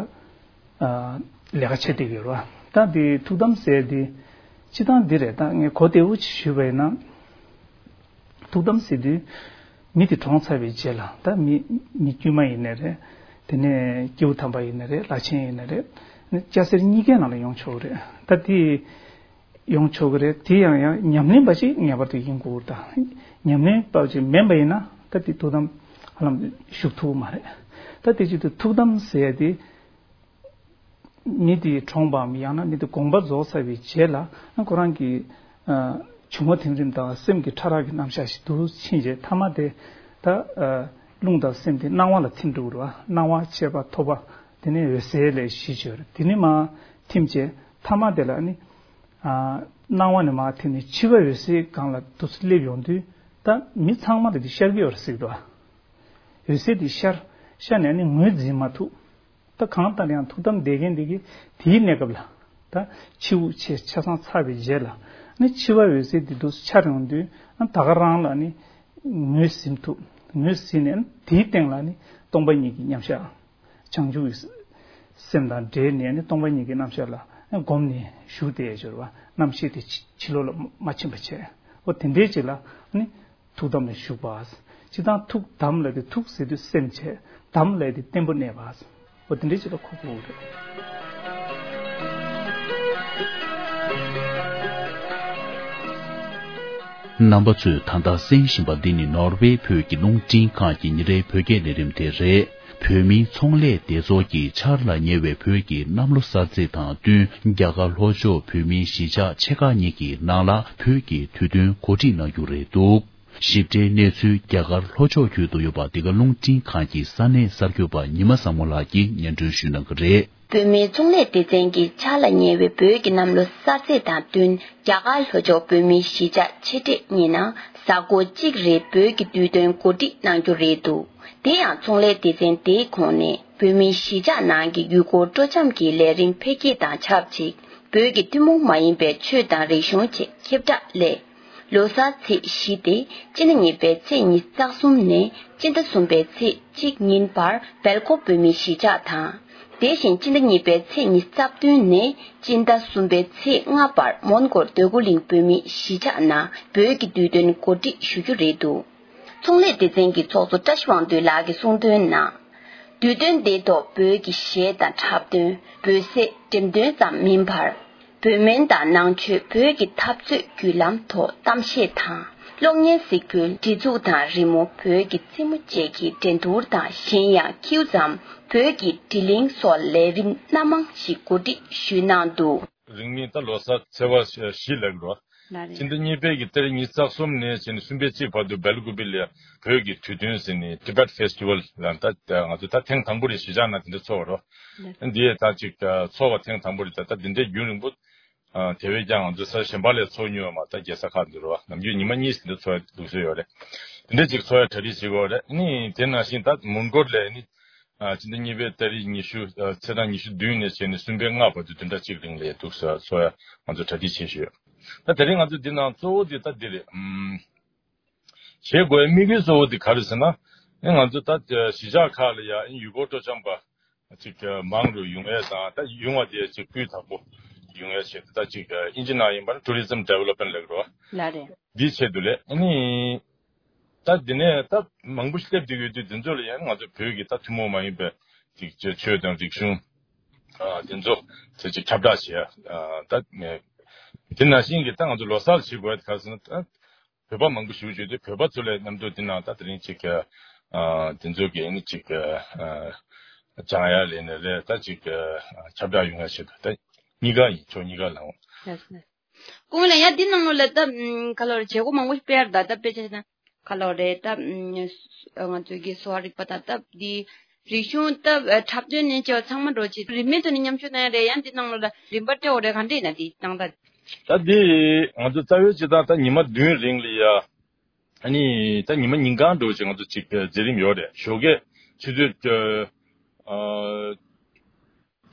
ལས་ཀ་བྱེད་བསྡད་ཡོད་རེད་བ། ད་དེ་ཐུགས་དམ་ཟེར་དེ་སྤྱི་བཏང་འདི་རེད། ད་ངས་གོ་བདེ་པོ་ཅིག་ཞུས་པ་ཡིན་ན། ཐུགས་དམ་ཟེར་དུས་མི་དེ་གྲོངས་ཚར་བའི་རྗེས་ལ་ད་མི་མི་དཀྱུས་མ་ཡིན་ནའི་རེད། དེ་ནས་སྐྱེས་བུ་དམ་པ་ཡིན་ནའི་རེད། བླ་ཆེན་ཡིན་ནའི་རེད། སྐྱ་སེར་གཉིས་ཀའི་ནང་ལ་ཡོང་ཆོག་གི་རེད། ད་དེ་ཡོང་ཆོག་གི་རེད། དེ་ཡང་ཡང་ཉམས་ལེན་པ་ཞིག་ངེས་པར་དུ་ཡིན་དགོས་རེད། ད་ཉམས་ལེན་པ་ཅིག་མིན་པ་ཡིན་ན་ད་དེ་ཐུགས་དམ་ཧ་ལམ་བཞུགས་ཐུབ་ཀྱི་མ་རེད། ད་དེ་བྱེད་དུས་ཐུགས་དམ་ཟེར་ཡ་དེ་མི་དེ་གྲོངས་པའམ་ཡང་ན་མི་དེ་དགོངས་པ་རྫོགས་ཚར་བའི་རྗེས་ལ་ཁོ་རང་གི་ཨ་འབྱུང་བ་ཐིམ་རིམ་དང་སེམས་ཀྱི་ཕྲ་རགས་ཀྱི་རྣམ་གཞག་ཞིག་ཏུ་ཕྱིན་རྗེས་ཐ་མ་དེ་ད་ཨ་རླུང་དང་སེམས་དེ་སྣང་བ་ལ་ཐིམ་འགྲོ་གི་རེད་བ། སྣང་བ་མཆེད་པ་ཐོབ་པ་དེ་ནས་འོད་གསལ་ལས་བཞི་བྱོས་རེད། དེ་ནས་མར་ཐིམ་བྱས་ཐ་མ་དེ་ལ་ནི། ཨ་སྣང་བ་ནས་མར་ཐིམ་ནས་འཆི་བ་འོད་གསལ་སྒང་ལ་འདུག་སེ་སླེབས་ཡོང་དུས་ད་མི་ཚང་མ་ལ་དེ་ཤར་གྱི་ཡོད་རེད་ཟེར་གྱི་འདུག་འོད་གསལ་དེ་ཤར་ཤར་ནས་ནི་ངོས་འཛིན་མ་ཐུབ། ད་གང་ལྟར་ཡང་ཐུགས་དམ་བསྡད་མཁན་དེ་གིས་དེའི་གནས་སྐབས་ལ་ད་འཆི་དབུགས་ཆད་ཆ་ཚང་ཚར་བའི་རྗེས་ལ་ནི་འཆི་བ་འོད་གསལ་དེ་འདུག་སེ་འཆར་ཡོང་དུས་ད་ག་རང་ལ་ནི་ངོས་ཟིན་ཐུབ། ངོས་ཟིན་ནས་དེའི་སྟེང་ལ་ནི་སྟོང་པ་ཉིད་ཀྱི་མཉམ་གཞག་བྱང་ཆུབ་ཀྱི་སེམས་དང་འབྲེལ་ནས་ནི་སྟོང་པ་ཉིད་ཀྱི་རྣམ་གཞག་ལ་བསྒོམས་ནས་བཞུགས་བསྡད་ཡོད་རེད་བ། རྣམ་ཤེས་དེ་ཕྱི་ཕྱི་ལོགས་ལ་མ་ཕྱིན་པ་བྱས། འོ་དེ་འདྲའི་ཅིག་ལ་ནི་ཐུགས་དམ་ལ་བཞུགས་པ། སྤྱིར་བཏང་ཐུགས་དམ་ལབ་དེ་ཐུགས་ཟེར་དུས་སེམས་བྱས། དམ་ལབ་དེ་བརྟན་པོ་གནས་པ། འོ་དེ་འདྲའི་ཅིག་ལ་གོ་དགོས་རེད། རྣམ་པ་ཚོས་ད་ལྟ་གསན་བཞིན་པ་འདི་ནི་ནོར་ཝེ་བོད་ཀྱི་རླུང་འཕྲིན་ཁང་གི་ཉིན་རེའི་བོད་སྐད་ལས་རིམ་དེ་རེད། བོད་མིའི་ཚོང་ལས་སྡེ་ཚོགས་ཀྱིས་ཆར་ལ་ཉེ་བའི་བོད་ཀྱི་གནམ་ལོ་གསར་ཚེས་དང་བསྟུན་རྒྱ་གར་ལྷོ་ཕྱོགས་བོད་མིའི་གཞིས་ཆགས་ཆེ་ཁག་གཉིས་ཀྱི་ནང་ལ་བོད་ཀྱི་དུས་སྟོན་གོ་སྒྲིག་གནང་རྒྱུ་རེད་འདུག་ཞིབ་ཕྲའི་གནས་ཚུལ་རྒྱ་གར་ལྷོ་ཕྱོགས་ཁུལ་དུ་ཡོད་པ་འདི་ག་རླུང་འཕྲིན་ཁང་གི་ས་གནས་གསར་འགོད་པ་ཉི་མ་བཟང་མོ་ལགས་ཀྱིས་སྙན་སྒྲོན་ཞུ་གནང་གི་རེད། བོད་མིའི་ཚོང་ལས་སྡེ་ཚན་གྱིས་ཆར་ལ་ཉེ་བའི་བོད་ཀྱི་གནམ་ལོ་གསར་ཚེས་དང་བསྟུན་རྒྱ་གར་ལྷོ་ཕྱོགས་བོད་མིའི་གཞིས་ཆགས་ཆེ་གྲས་གཉིས་ནང་གཟའ་འཁོར་གཅིག་རེ་བོད་ཀྱི་དུས་སྟོན་གོ་སྒྲིག་གནང་རྒྱུ་རེད་འདུག་དེ་ཡང་ཚོང་ལས་སྡེ་ཚན་དེའི་ཁོངས་ནས་བོད་མིའི་གཞིས་ཆགས་ནང་གི་ཡུལ་སྐོར་སྤྲོ་འཆམ་གྱི་ལས་རིམ་འཕེལ་རྒྱས་དང་ཆབས་ཅིག་བོད་ཀྱི་ཐུན་མོང་མ་ཡིན་པའི་ཆོས་དང་རིག་གཞུང་ཆེད་ཁྱབ་བསྒྲགས་སླད། ལོ་གསར་ཚེས་བཞི་སྟེ་སྤྱི་ཟླ་གཉིས་པའི་ཚེས་ཉི་ཤུ་རྩ་གསུམ་ནས་སྤྱི་ཟླ་གསུམ་པའི་ཚེས་གཅིག་ཉིན་བར་སྦེལ་ཀོབ་བོད་མིའི་གཞིས་ཆགས་དང་། དེ་བཞིན་སྤྱི་ཟླ་གཉིས་པའི་ཚེས་ཉི་ཤུ་རྩ་བདུན་ནས་སྤྱི་ཟླ་གསུམ་པའི་ཚེས་ལྔ་བར་མོན་གྷོར་འདོད་རྒུ་གླིང་བོད་མིའི་གཞིས་ཆགས་ནང་བོད་ཀྱི་དུས་སྟོན་གོ་སྒྲིག་ཞུ་རྒྱུ་རེད་འདུག་ཚོང་ལས་སྡེ་ཚན་གྱི་ཚོགས་གཙོ་བཀྲ་ཤིས་དབང་འདུས་ལགས་ཀྱིས་གསུངས་དོན་ནང་། དུས་སྟོན་འདིའི་ཐོག་བོད་ཀྱི་གཞས་དང་འཁྲབ་སྟོན། འབོད་ཟས། འགྲེམས་སྟོན་ཙམ་མིན་པར། བོད་སྨན་དང་ནང་ཆོས། བོད་ཀྱི་འཐབ་རྩོད་བརྒྱུད་ལམ་ཐོག་གཏམ་བཤད་དང་། གློག་བརྙན་གཟིགས་འབུལ། སྒྲིག་འཛུགས་དང་རི་མོ། བོད་ཀྱི་རྩེད་མོ་བཅས་ཀྱི་འགྲན་བསྡུར་དང་གཞན་ཡང་ཁྱེའུ་ཙམ་བོད་ཀྱི་དྲི་གླིང་སོགས་ལས་རིམ་སྣ་མང་ཞིག་གོ་སྒྲིག་ཞུས་གནང་འདུག་རིང་མིན་ད་ལོ་གསར་ཚེས་པ་བཞི་ལབ་རོ། ལགས་རེད། སྤྱི་ཟླ་གཉིས་པའི་གི་ཏ་རིག་ཉི་ཤུ་རྩ་གསུམ་ནས་བྱས་ནས་གསུམ་པའི་གཅིག་བར་དུ་སྦེལ་ཀུ་པེ་ལ་བོད་ཀྱི་དུས་སྟོན་ཟེར་ནས་Tibet Festival ལ་ད་ང་ཚོ་ད་ཐེངས་དང་པོ་རེད། གཞིས་ཆགས་ནང་དེ་འདྲ་ཚོགས་པ་རོ། ལགས། འདི་ད་ཅིག་ཚོགས་པ་ཐེངས་དང་པོ་རེད། ད་ད་འདི་འདྲའི་རྒྱུན་རིང་པོ་དེ་བས་ཀྱང་ང་ཚོ་ས་གཞན་པ་ལ་ཚོགས་མྱོང་བ་མ་ད་རྒྱལ་ས་ཁག་འདི་རོ། ནམ་རྒྱུན་ཉི་མ་གཉིས་ཟིན་འདྲ་ཚོགས་འདུག་སེ་ཡོད་རེད། དེ་འདྲ་ཅིག་ཚོགས་ཡ་གྲ་སྒྲིག་བྱེད་དགོས་རེད། ཨ་ནི་དེ་ནང་བཞིན་ད་མོན་གྷོ་ལ་ནི་ཨ་སྤྱི་ཟླ་གཉིས་པའི་ཏ་རིག་ཉི་ཤུ་ཨ་ཚེས་གྲངས་ཉི་ཤུ་བདུན་ནས་བྱས་ནས་གསུམ་པའི་ལྔ་བར་དུ་བདུན་ཕྲག་གཅིག་རིང་ལ་འདུག་སེ་ཚོགས་ཡ་ང་ཚོ་གྲ་སྒྲིག་བྱེད་བཞིན་ཡོད། ད་དེ་རིང་ང་ཚོ་འདི་ནང་གཙོ་བོ་དེ་ད་འདི་རེད། ཨམ། བྱེད་དགོས་དམིགས་ཡུལ་གཙོ་བོ་དེ་ག་རེ་ཟེར་ན། ཨེ་ང་ཚོ་ད་གཞིས་ཆགས་ཁག་ལ་ཡ་ཨེ་ཡུལ་སྐོར་སྤྲོ་འཆམ་པ་ཅིག་མང་རུ་ཡོང་ཡས་དང་། ད་ཡོང་བ་དེ་ཅིག་སྤུས་དག་པོ་ཡོང་ཡས་ཆེད་དུ། ད་ཅིག་ཨིན་ཇི་ནང་ཡིན་པ་ན་tourism development ལབ་རོ། ལགས་རེད། འདིའི་ཆེད་དུ་ལས་ཨ་ནི་ད་འདི་ནས་ད་མང་པོ་ཞིག་སླེབས་བསྡད་ཡོད་དུས་འདི་ཚོ་ལ་ཡ་ང་ཚོ་བོད་ཀྱི་ད་ཐུན་མོང་མ་ཡིན་པའི་ཅིག་ཆོས་དང་རིག་གཞུང་ཨ་དེ་ཚོ་དེ་ཅིག་ཁྱབ་བསྒྲགས་བྱེད་ཡ། ཨ་ད་དེ་ནང་བཞིན་གྱི་ད་ང་ཚོ་ལོ་གསར་བྱེད་དགོས་ཡ་དེ་ག་རེ་ཟེར་ན། ད་བོད་པ་མང་པོ་ཞིག་བརྗོད་དུས་བོད་པ་ཚོ་ལ་མཉམ་དུ་འདི་ནང་ད་དེ་རིང་ཅིག་ཨ་དེ་ཚོ་གི་ནི་ཅིག་ཨ་སྦྱང་ཡ་ལས་ནས་རེད། ད་ཅིག་ཨ་ཁྱབ་བསྒྲགས་ཡོང་ཡ་ཆེད་དུ་ད་གཉིས་ཀ་ཡིན། ཕྱོགས་གཉིས་ཀ་ལ་འོང་། ལགས་སོ། ལགས་སོ། ཀུན་ལ་ཡ་འདི་ནང་ལོགས་ལ་ད་ཨམ་ག་ལོར་བྱེད་སྒོ་མང་པོ་ཞིག་སྤེལ་ཡ་རེད། ད་ད་དཔེ་ཆ་ན་ག་ལོར་རེད། ད་ཨམ་ང་ཚོའི་གི་གསོ་བ་རིག་པ་དང་སྟབས་བདེ། རིག་གཞུང་སྟབས་འཁྲབ་སྟོན་ནས་བྱས་པ་ཚང་མ་འགྲོ་ཆེད་རིན་མེད་ཐོག་ནས་མཉམ་ཞུགས་གནང་ཡ་རེད། ཡང་འདི་ནང་ལོགས་ལ་རིན་པ་སྤྲད་དགོས་རེད། ག་འདྲ་ཡིན་ན་འདི་གནང་སྟངས། ད་འདི་ང་ཚོ་རྩ་བའི་སྤྱིར་བཏང་ད་ཉི་མ་བདུན་རིང་ལ་ཡ། ཨ་ནི་ད་ཉི་མ་ཉིན་གང་འགྲོ་ཅིག་ང་ཚོ་ཅིག་མཛད་རིམ་ཡོད་རེད། ཞོགས་ཀས་ཆུ་ཚོད་ཨ་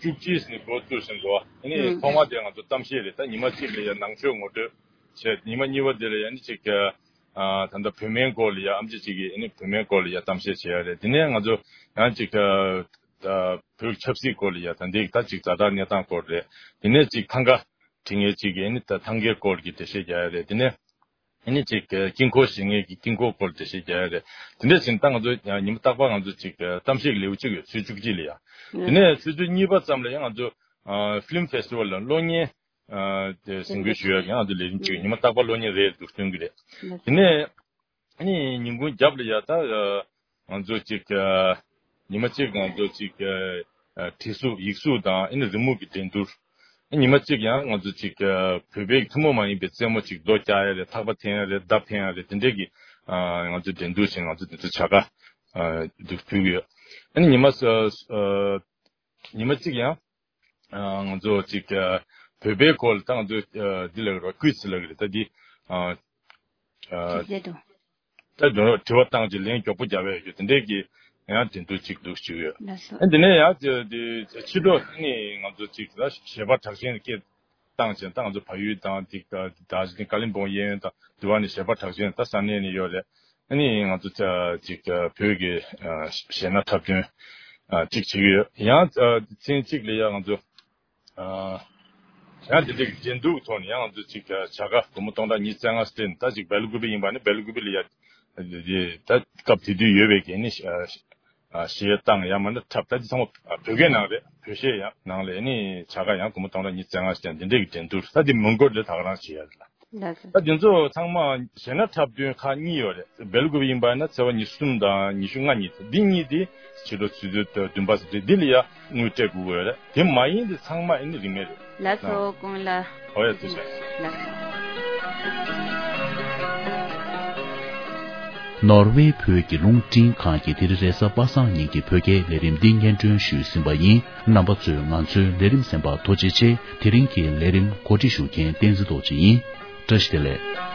བཅུ་གཅིག་ནས་འགོ་བཙུགས་ཟིན་འགྲོ། ཨ་ནི་ཐོག་མ་དེ་ང་ཚོ་གཏམ་བཤད་རེད། ད་ཉི་མ་གཅིག་ལ་ཡ་ནང་ཆོས་ངོ་སྤྲོད་བྱས། ཉི་མ་གཉིས་པ་དེ་ལ་ཡ་ནི་ཅིག་ཨ་ད་ལྟ་བོད་སྨན་སྐོར་ལ་ཡ་ཨམ་ཆི་ཅིག་གིས་ཨ་ནི་བོད་སྨན་སྐོར་ལ་ཡ་གཏམ་བཤད་བྱེད་ཡ་རེད། དེ་ནས་ང་ཚོ་ཡང་ཅིག་ཨ་ད་བོད་ཆབ་སྲིད་སྐོར་ལ་ཡ་ད་འདི་ད་ཅིག་ཛ་དྲག་གནས་སྟངས་སྐོར་རེད། དེ་ནས་ཅིག་ཐང་ག་དྲི་ངན་ཅིག་གིས་ཨ་ནི་ད་ཐང་གའི་སྐོར་གྱི་འགྲེལ་བཤད་རྒྱག་ཡ་རེད། དེ་ནས་ཨ་ནི་ཅིག་དཀྱིལ་འཁོར་བཞེངས་མཁན་གྱི་དཀྱིལ་འཁོར་སྐོར་འགྲེལ་བཤད་རྒྱག་ཡ་རེད། དེ་འདྲ་བྱས་ན་ད་ང་ཚོ་ཉི་མ་རྟག་པར་ང་ཚོ་ཅིག་གཏམ་བཤད་ཀྱི་ལེའུ་གཅིག་ཡོད། ཚེས་བཅུ་གཅིག་ལ་ཡ། དེ་ནས་ཚེས་བཅུ་གཉིས་པ་ཙམ་ལ་ཡང་ང་ཚོ་ཕི་ལིམ་ཕེ་སི་ཊི་ཝལ་ལ་གློག་བརྙན་དེ་གཟིགས་འབུལ་ཞུ་ཡ་གི་ང་ཚོ་ལས་རིམ་གཅིག་ཡོད། ཉི་མ་རྟག་པར་གློག་བརྙན་རེ་རེ་འདུག་སྟོན་གྱི་རེད། དེ་ནས་ཨ་ནི་ཉིན་གུང་རྒྱབ་ལ་ཡ་ད་ང་ཚོ་ཅིག་ཉི་མ་གཅིག་ང་ཚོ་ཅིག་བྲིས་གཟུགས་ཡིག་གཟུགས་དང་ཨ་ནི་རི་མོ་གི་འགྲན་བསྡུར། ཉི་མ་གཅིག་ཡང་ང་ཚོ་ཅིག་བོད་པའི་ཐུན་མོང་མ་ཡིན་པའི་རྩེད་མོ་ཅིག་རྡོ་བཀྱག་ཡ་རེད། ཐག་པ་འཐེན་ཡ་རེད། མདའ་འཕེན་ཡ་རེད། དེ་འདྲས་ཀྱི་ང་ཚོ་འགྲན་བསྡུར་བྱས། ང་ཚོ་དེ་ཚོ་བྱ་དགའ་འདུག་ཕུལ་གྱི་ཡོད། ཨ་ནི་ཉི་མ་ཉི་མ་གཅིག་ཡང་ང་ཚོ་ཅིག་བོད་པའི་སྐོར་ལ་ད་ང་ཚོ་འདི་ལབ་ཀྱི་རེད། ཀུའི་ཛི་ལབ་ཀྱི་རེད། ད་འདི་ཨ་ཨ་དྲི་རྩད་དུ། ད་དྲི་བ་དྲི་བ་བཏང་རྗེས་ལན་མགྱོགས་པོ་རྒྱབ་ཡ་ཡོད། དེ་འདྲས་ཀྱི་ཡང་འགྲན་བསྡུར་ཅིག་འདུག་བྱེད་ཀྱི་ཡོད། ལགས་སོ། ཨ་འདི་ནས་ཡང་དེ་དེ་ཕྱི་དྲོ་ནི་ང་ཚོ་ཅིག་ད་གཞས་པ་གྲགས་ཅན་སྐད་བཏང་བྱས། ད་ང་ཚོ་བལ་ཡུལ་དང་དེ་ད་ཅིག་ཀ་ལིམ་པོང་གཡས་གཡོན་དང་དེ་བ་ནས་གཞས་པ་གྲགས་ཅན་ད་ས་གནས་ནས་ཡོད་རེད། ཨ་ནི་ང་ཚོ་ཅིག་བོད་ཀྱི་གཞས་སྣ་འཁྲབ་སྟོན་ཅིག་བྱེད་ཀྱི་ཡོད། ཡང་ཚེས་གཅིག་ལ་ཡ་ང་ཚོ་ཡང་དེ་འདྲའི་འགྲན་བསྡུར་གྱི་ཐོག་ནས་ཡང་ང་ཚོ་ཅིག་བྱ་དགའ་སྒོར་མོ་སྟོང་ཕྲག་ཉི་ཤུ་རྩ་ལྔ་སྤྲད་ནས། ད་ཅིག་སྦེལ་ཀུ་པེ་ཡིན་པ་ནི་སྦེལ་ཀུ་པེ་ལ་ཡ་ད་སྐབས་དེ་དུས་ཡོད་པའི་གི་ནི་གཞས་བཏང་ཡང་མིན་ན་འཁྲབ། ད་དེ་ཚང་མ་བོད་སྐད་ནང་རེད། བོད་གཞས་ཡང་ནང་ལ་ནི་བྱ་དགའ་ཡང་སྒོར་མོ་སྟོང་ཕྲག་ཉི་ཤུ་རྩ་ལྔ་སྤྲད་ནས་དེ་འདྲའི་གི་འགྲན་བསྡུར། ད་དེ་མོན་གྷོ་ལ་ད་ག་རང་བྱེད་ཡ་རེད་ལ། ལགས་སོ། ད་འདི་ཚོ་ཚང་མ་གཞས་སྣ་འཁྲབ་སྟོན་ཁག་གཉིས་ཡོད་རེད། སྦེལ་ཀོབ་ཡིན་པ་ན་ཚེས་པ་ཉི་ཤུ་གསུམ་དང་ཉི་ཤུ་ལྔ་ཉིན་འདི་གཉིས་དེ་ཕྱི་དྲོ་ཆུ་ཚོད་བདུན་པ་ཙམ་རེད། འདི་ལ་ཡ་དངུལ་སྤྲད་དགོས་ཀྱི་ཡོད་རེད། དེ་མ་ཡིན་དེ་ཚང་མ་ཨ་ནི་རིན་མེད་རེད། ལགས་སོ། ཀུན་ལ། ཨོ་ཡ། ཐུགས་རྗེ་ཆེ། ལགས་སོ། ནོར་ཝེ་བོད་ཀྱི་རླུང་འཕྲིན་ཁང་གིས་དེ་རིང་རེས་གཟའ་པ་སངས་ཉིན་གྱི་བོད་སྐད་ལས་རིམ་འདི་སྙན་སྒྲོན་ཞུས་ཟིན་པ་ཡིན། རྣམ་པ་ཚོས་ང་ཚོའི་ལས་རིམ་གསན་པར་ཐུགས་རྗེ་ཆེ། དེ་རིང་གི་ལས་རིམ་གོ་སྒྲིག་ཞུ་མཁན་བསྟན་འཛིན་རྡོ་རྗེ་ཡིན། བཀྲ་ཤིས་བདེ་ལེགས།